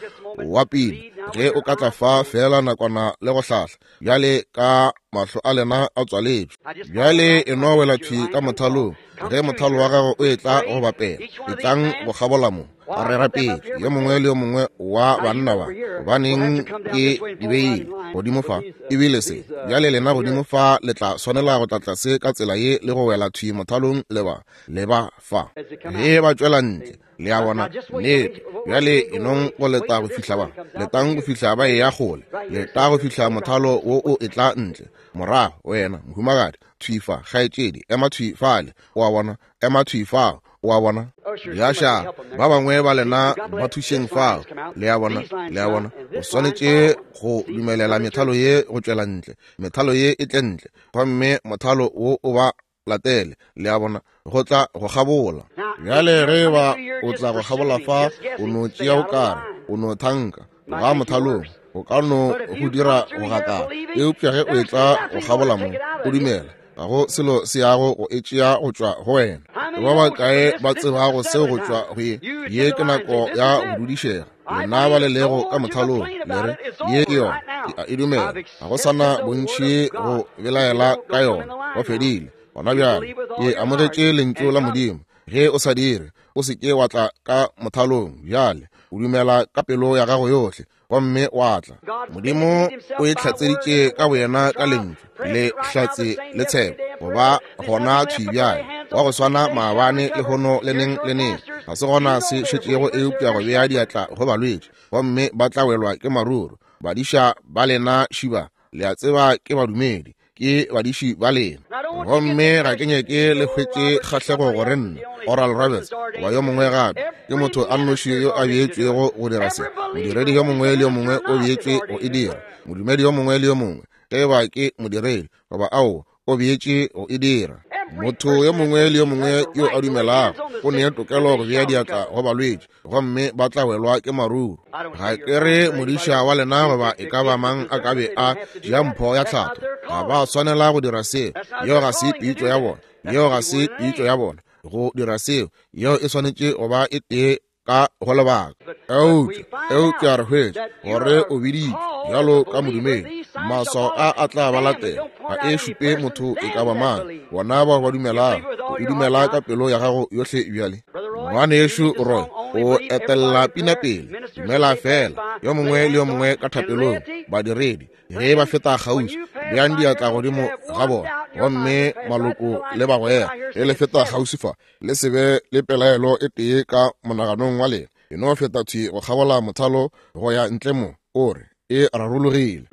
wa pina, ge o ka tla fa fela nakwana le go hlahla bjale ka mahlo a lena a tswaletšwe. Bjale e no wela thwi ka mothalong. Ge mothalo wa gago o etla go bapela, etlang go kgabola mo. Re rapetše yo mongwe le yo mongwe wa banna ba, gobaneng ke di beile godimo fa ebile se. Bjale lena godimo fa le tla swanela go tla tlase ka tsela ye le go wela thwi mothalong le ba le ba fa ge ba tšwela ntle. Le a bona, nnete. Bjale enong go leta go fihla ba letang go fihla ba e ya kgole, leta go fihla mothalo wo o etla ntle. Morago wena mohumagadi thwi fa, kgaetšedi ema thwi fale, o a bona, ema thwi fao, o a bona. Diaša ba bangwe ba lena ba thušeng fao, le a bona, le a bona. O swanetše go dumelela methalo ye go tšwela ntle, methalo ye e tle ntle, gomme mothalo wo o ba latele, le a bona, go tla go kgabola. Bjale ge ba o tla go kgabola fa, o no tšea o kare, o no thanka ga mothalong, o ka no go dira go gakala. Eupša ge o etla go kgabola mo, o dumela, ga go selo se yago go e tšea go tšwa go wena. Ba bakae ba tsebago seo go tšwa go ye? Ye ke nako ya go dudišega. Lena ba le lego ka mothalong, le re, ye ke yona, ke a e dumela. Ga go sa na bontši go belaela ka yona, go fedile. Gona bjale, ke amogetše lentšu la Modimo. Ge o sa dire, o se ke wa tla ka mothalong bjale. O dumela ka pelo ya gago yohle, gomme wa tla. Modimo o e hlatseditše ka boyena ka lentšu, le hlatse le tshepo, goba gona thwi bjale, wa go swana maabane lehono le neng le neng. Ga se gona se šetšego eupša go bea diatla go balwetši, gomme ba tla welwa ke maruru. Badiša ba lena šiba, le a tseba ke badumedi, ke badiši ba lena. Gomme ga ke nyake le hwetše kgahlego gore nna, Oral Roberts, goba yo mongwe gape, ke motho a nnoši yo a beetšwego go dira se. Modiredi yo mongwe le yo mongwe o beetšwe go e dira. Modumedi yo mongwe le yo mongwe, ge ba ke modiredi goba ao, o beetše go e dira. Motho yo mongwe le yo mongwe yo a dumelago o ne tokelo go bea diatla go balwetši, gomme ba tla welwa ke maruru. Ga ke re modiša wa lena goba e ka ba mang a ka be a tšea mpho ya tlhatho. Ga ba swanela go dira seo. Yeo ga se pitšo ya bona. Yeo ga se pitšo ya bona go dira seo. Yeo e swanetše go ba e tee ka go lebaka. Eupša, eupša re hwetša gore o biditšwe bjalo ka modumedi. Maswao a a tla ba latela. Ga e šupe motho e ka ba mang. Bona bao ba dumelago, o e dumela ka pelo ya gago yohle bjale. Ngwanešu Roy, o etella pina pele. Dumela fela, yo mongwe le yo mongwe ka thapelong. Badiredi, ge ba feta kgauswi, beang diatla godimo ga bona. Gomme maloko le bagwera, ge le feta kgauswi fa, le se be le pelaelo e tee ka monaganong wa lena. E no feta thwi go kgabola mothalo go ya ntle mo, o re e rarologile.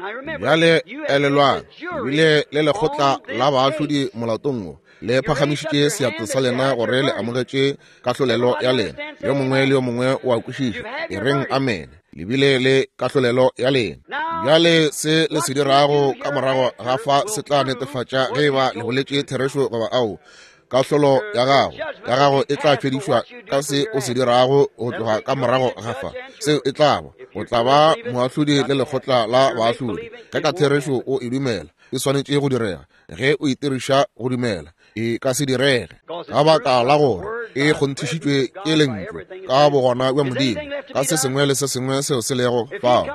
Bjale elelwang, ebile le lekgotla la baahlodi molatong wo, le phagamišitše seatla sa lena gore le amogetše kahlolelo ya lena. Yo mongwe le yo mongwe o a kwešiša. E reng amen. Le bile le kahlolelo ya lena. Bjale se le se dirago ka morago ga fa se tla netefatša ge eba le boletše therešo goba ao. Kahlolo ya gago ya gago e tla fedišwa ka se o se dirago go tloga ka morago ga fa. Seo e tla ba, o tla ba moahlodi le lekgotla la baahlodi. Ge ka therešo o e dumela, e swanetše go direga. Ge o itiriša go dumela, e ka se direge. Ka baka la gore e kgonthišitšwe ke lentšu ka bogona bja Modimo, ka se sengwe le se sengwe seo se lego fao.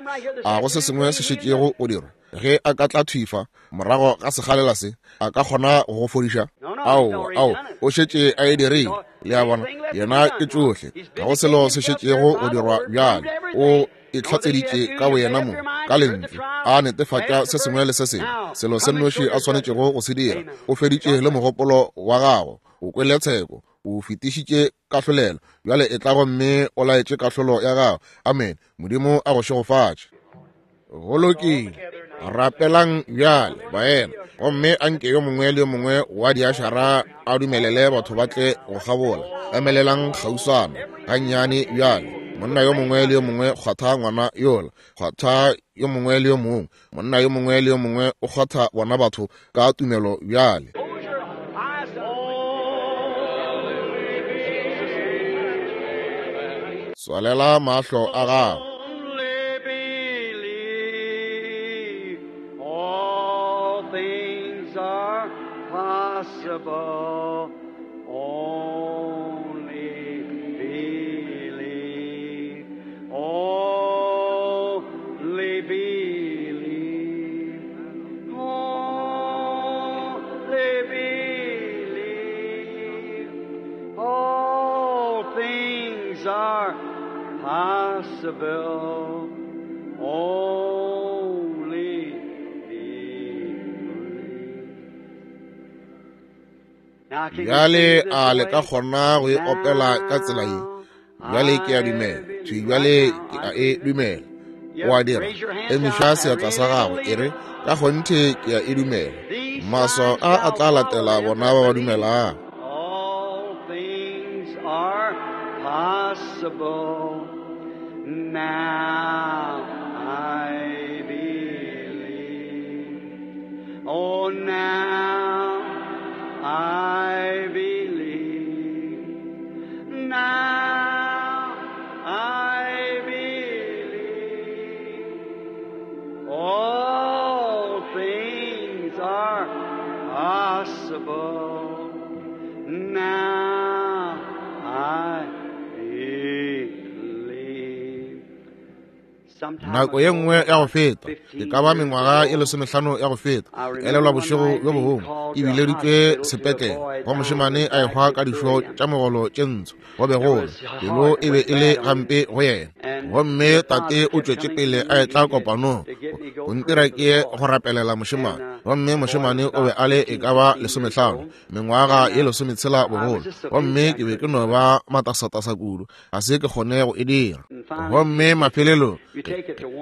A go se sengwe se šetšego go dirwa. Ge a ka tla thwifa morago ga sekgalela se, a ka kgona go go fodiša? Ao, ao, o šetše a e dirile. Le a bona, yena ke tšohle. Ga go selo se šetšego go dirwa bjale. O e hlatseditše ka boyena mo ka lentšu, a netefatša se sengwe le se sengwe. Selo se nnoši a swanetšego go se dira, o feditše le mogopolo wa gago, o kwele tsheko, o fetišitše kahlolelo. Bjale e tla gomme o laetše kahlolo ya gago. Amen. Modimo a go šegofatše. Go lokile. Rapelang bjale, baena. Gomme anke yo mongwe le yo mongwe wa diašara a dumelele batho ba tle go kgabola. Emelelang kgauswana gannyane bjale. Monna yo mongwe le yo mongwe kgwatha ngwana yola, kgwatha yo mongwe le yo mongwe. Monna yo mongwe le yo mongwe o kgwatha bona batho ka tumelo bjale. Tswalela mahlo a gago. Possible, only believe, only believe, only believe, all things are possible, only believe. Bjale a le ka kgona go e opela ka tsela ye? Bjale ke a dumela. Thwi bjale ke a e dumela. O a dira. Emiša seatla sa gago, e re, ka kgonthe ke a e dumela. Maswao a a tla latela bona ba ba dumelago. All things are possible. Now I believe. Oh, now I believe. Now I believe. All things are possible. Now I believe. Nako ye nngwe ya go feta, e ka ba mengwaga e lesomehlano ya go feta, elelwa bošego bjo bongwe e bileditšwe sepetlele go mošemane a ehwa ka dišo tša mogolo tše ntsho. Go be go pelo e be e le gampe go yena, gomme tate o tšwetše pele a etla kopanong go ntira ke ye go rapelela mošemane. Gomme mošemane o be a le e ka ba lesomehlano, mengwaga ye lesometshela bogolo, gomme ke be ke no ba matasatasa kudu, ga se ke kgone go e dira. Gomme mafelelong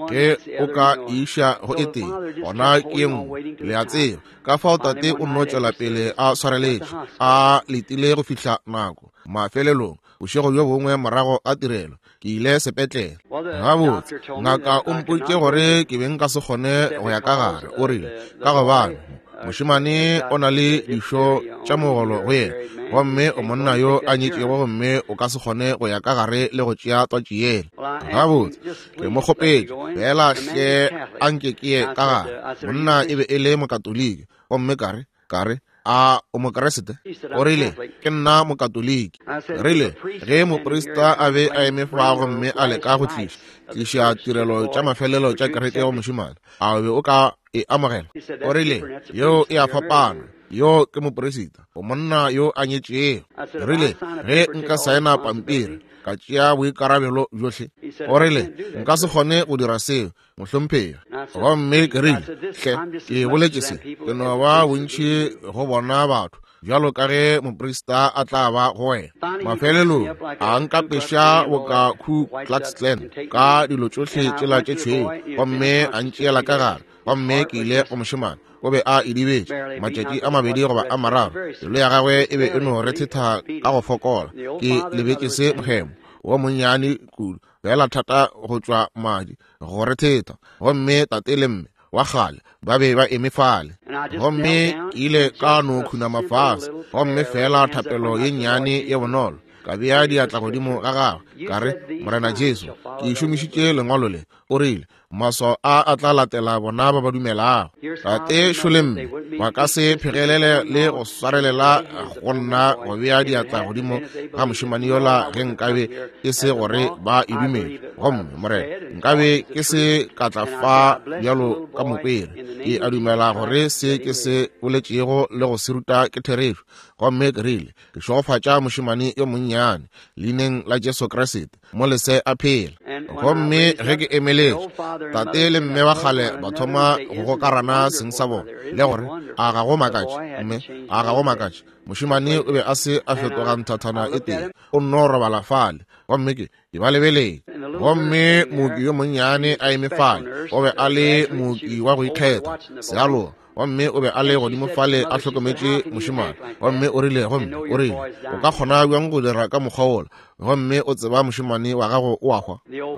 ge o ka iša go e tee, gona ke ye nngwe, le a tseba. Ka fao tate o nno tšwela pele a swareletše, a letile go fihla nako. Mafelelong bošego bjo bongwe morago a tirelo, ke ile sepetlele. Gabotse, ngaka o mpoditše gore ke be nka se kgone go ya ka gare. O rile, ka gobane mošemane o na le dišo tša mogolo go yena, gomme o monna yo a nyetšego, gomme o ka se kgone go ya ka gare le go tšea twatši yela. Gabotse, ke mo kgopetše fela hle a nke ke ye ka gare. Monna e be e le mokatoliki, gomme ka re ka re a o mokeresete? O rile, ke nna mokatoliki. Rile, ge moprista a be a eme fa gomme a leka go tliša tliša tirelo tša mafelelo tša kereke go mošemane, a o be o ka e amogela? O rile, yeo e a fapana, yo ke mopresita, o monna yo a nyetšego. Rile, ge nka saena pampiri ka tšea boikarabelo bjohle. O rile, nka se kgone go dira seo, mohlomphegi. Gomme ke rile, hle, ke boletše se, ke no ba bontši go bona batho bjalo ka ge moprista a tla ba go wena. Mafelelong a nkapeša boka Ku Klux Klan ka dilo tšohle tšela tše tšhweu, gomme a ntšeela ka gare. Gomme ke ile go mošemane, o be a idibetše matšatši a mabedi goba a mararo, pelo ya gagwe e be e no rethetha ka go fokola. Ke lebetše se mohemo wo monnyane kudu, fela thata go tšwa madi go rethetha. Gomme tate le mme wa kgale ba be ba eme fale, gomme ke ile ka no khunama fase, gomme fela thapelo ye nnyane ye bonolo, ka bea diatla godimo ga gagwe, ka re, Morena Jesu, ke šomišitše lengwalo le. O rile, maswao a a tla latela bona ba ba dumelago. Tate šole mme ba ka se phegelele le go swarelela go nna go bea diatla godimo ga mošemane yola ge nkabe e se gore ba e dumele. Gomme Morena, nkabe ke se ka tla fa bjalo ka mokwere. Ke a dumela gore se ke se boletšego le go se ruta ke therešo. Gomme ke rile, ke šegofatša mošemane yo monnyane leineng la Jesu Kriste, mo lese a phela. Gomme ge ke emeletše, tate le mme wa kgale ba thoma go gokarana seng sa bona, le gore a ga go makatše, mme a ga go makatše. Mošemane o be a se a fetoga nthathana e tee, o nno robala fale. Gomme ke ke ba lebeletše. Gomme mooki yo monnyane a eme fale, o be a le mooki wa go ikgetha sealoga, gomme o be a le godimo fale a hlokometše mošemane. Gomme o rile, gomme o rile, o ka kgona bjang go dira ka mokgwa wola, gomme o tseba mošemane wa gago o a hwa?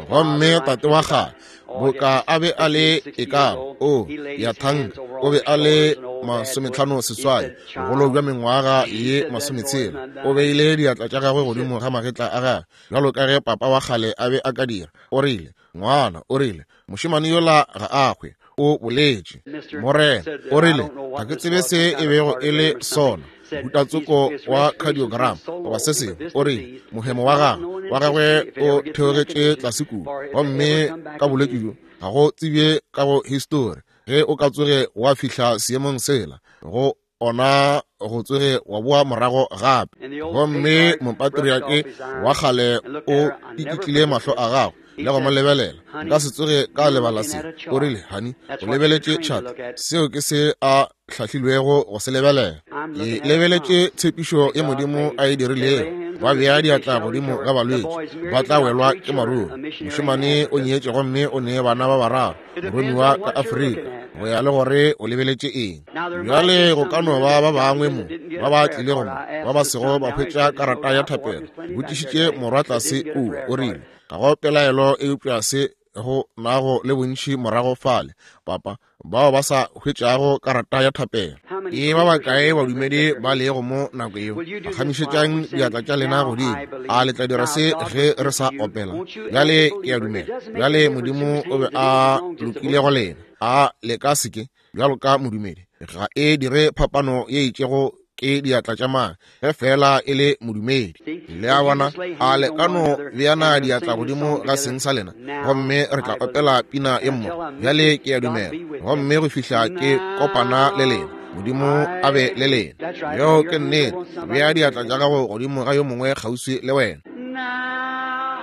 Gomme tate wa kgale, boka a be a le e ka o ya thanka, o be a le masometlhano seswai, bogolo bja mengwaga ye masometshela. O beile diatla tša gagwe godimo ga magetla a gagwe, bjalo ka ge papa wa kgale a be a ka dira. O rile, ngwana, o rile, mošemane yola ga a hwe, o boletše. Morena, o rile, ga ke tsebe se e bego e le sona, mehutatsoko wa cardiogram goba se sengwe. O rile, mohemo wa gagwe wa gagwe o theogetše tlase kudu, gomme ka bolwetši bjo ga go tsebje ka go histori ge o ka tsoge wa fihla seemong sela, go ona go tsoge wa boa morago gape. Gomme mopatriake wa kgale o ikitlile mahlo a gagwe le go mo lebelela. Nka se tsoge ka lebala se. O rile, honey, o lebeletše tšhata, seo ke se a hlahlilwego go se lebelela. Ke lebeletše tshepišo ye Modimo a e dirilego, ba bea diatla godimo ga balwetši, ba tla welwa ke maruru. Mošemane o nyetše gomme o ne bana ba bararo, moromiwa ka Afrika, go ya le gore o lebeletše eng. Bjale go ka no ba ba bangwe mo ba ba tlilego mo ba ba sego ba hwetša karata ya thapelo. Botšišitše morwa tlase kua, o rile, ga go pelaelo eupša se go nago le bontši morago fale, papa, bao ba sa hwetšago karata ya thapelo. E ba bakae badumedi ba lego mo nako yeo? Phagamišetšang diatla tša lena godimo. A le tla dira se ge re sa opela? Bjale ke a dumela. Bjale Modimo o be a lokile go lena. A le ka se ke, bjalo ka modumedi, ga e dire phapano ye itšego ke diatla tša mang, ge fela e le modumedi. Le a bona, a le ka no beana diatla godimo ga seng sa lena, gomme re tla opela pina ye mmogo. Bjale ke a dumela, gomme go fihla ke kopana le lena, Modimo a be le lena. Yeo ke nnete. Bea diatla tša gago godimo ga yo mongwe kgauswi le wena. Now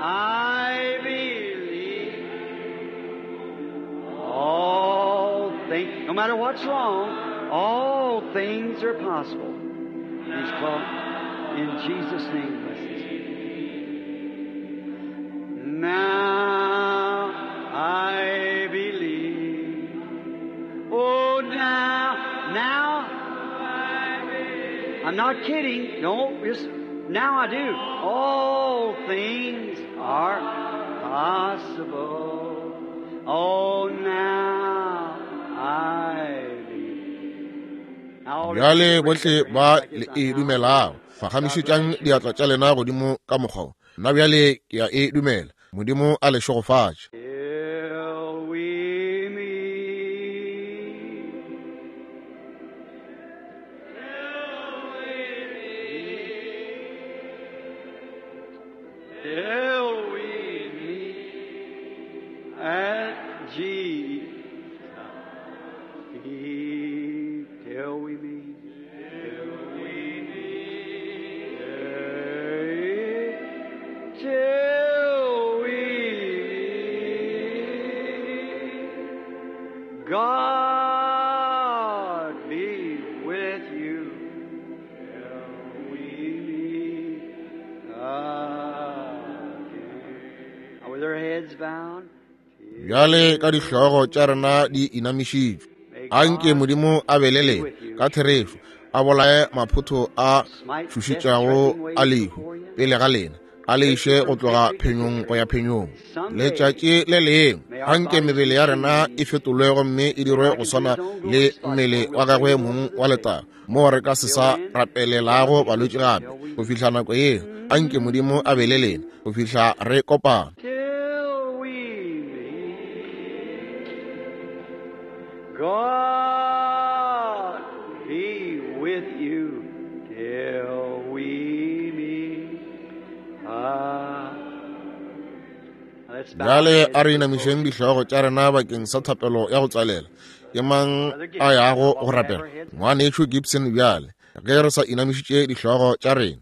I believe all things, no matter what's wrong, all things are possible. He's called in Jesus' name. Bless Now I believe. Oh, now, now I believe. I'm not kidding. No, just now I do. All things are possible. Oh, now I believe. Now, Bjale bohle ba le e dumelago, phagamišetšang diatla tša lena godimo ka mokgwa wo. Nna bjale ke a e dumela. Modimo a le šegofatše. Till we meet. Till we meet at Jesus' feet. Till we meet. Till we meet. Till we meet. God be with you. Till we meet again. Now with our heads bowed. Bjale ka dihlogo tša rena di inamišitšwe, anke Modimo a be le lena ka therešo, a bolaye maphotho a tšhošetšago a lehu pele ga lena, a le iše go tloga phenyong go ya phenyong. Letšatši le lengwe anke mebele ya rena e fetolwe gomme e dirwe go swana le mmele wa gagwe mong wa letago, moo re ka se sa rapelelago balwetši gape. Go fihla nako yeo, anke Modimo a be le lena go fihla re kopana. Till we meet. God be with you till we meet. Ah. Let's bow our Bjale heads a re for inamišeng closing. dihlogo tša rena bakeng sa thapelo ya go tswalela. Ke mang a yago go rapela? Ngwanešo Gibson bjale, ge re sa inamišitše dihlogo tša rena.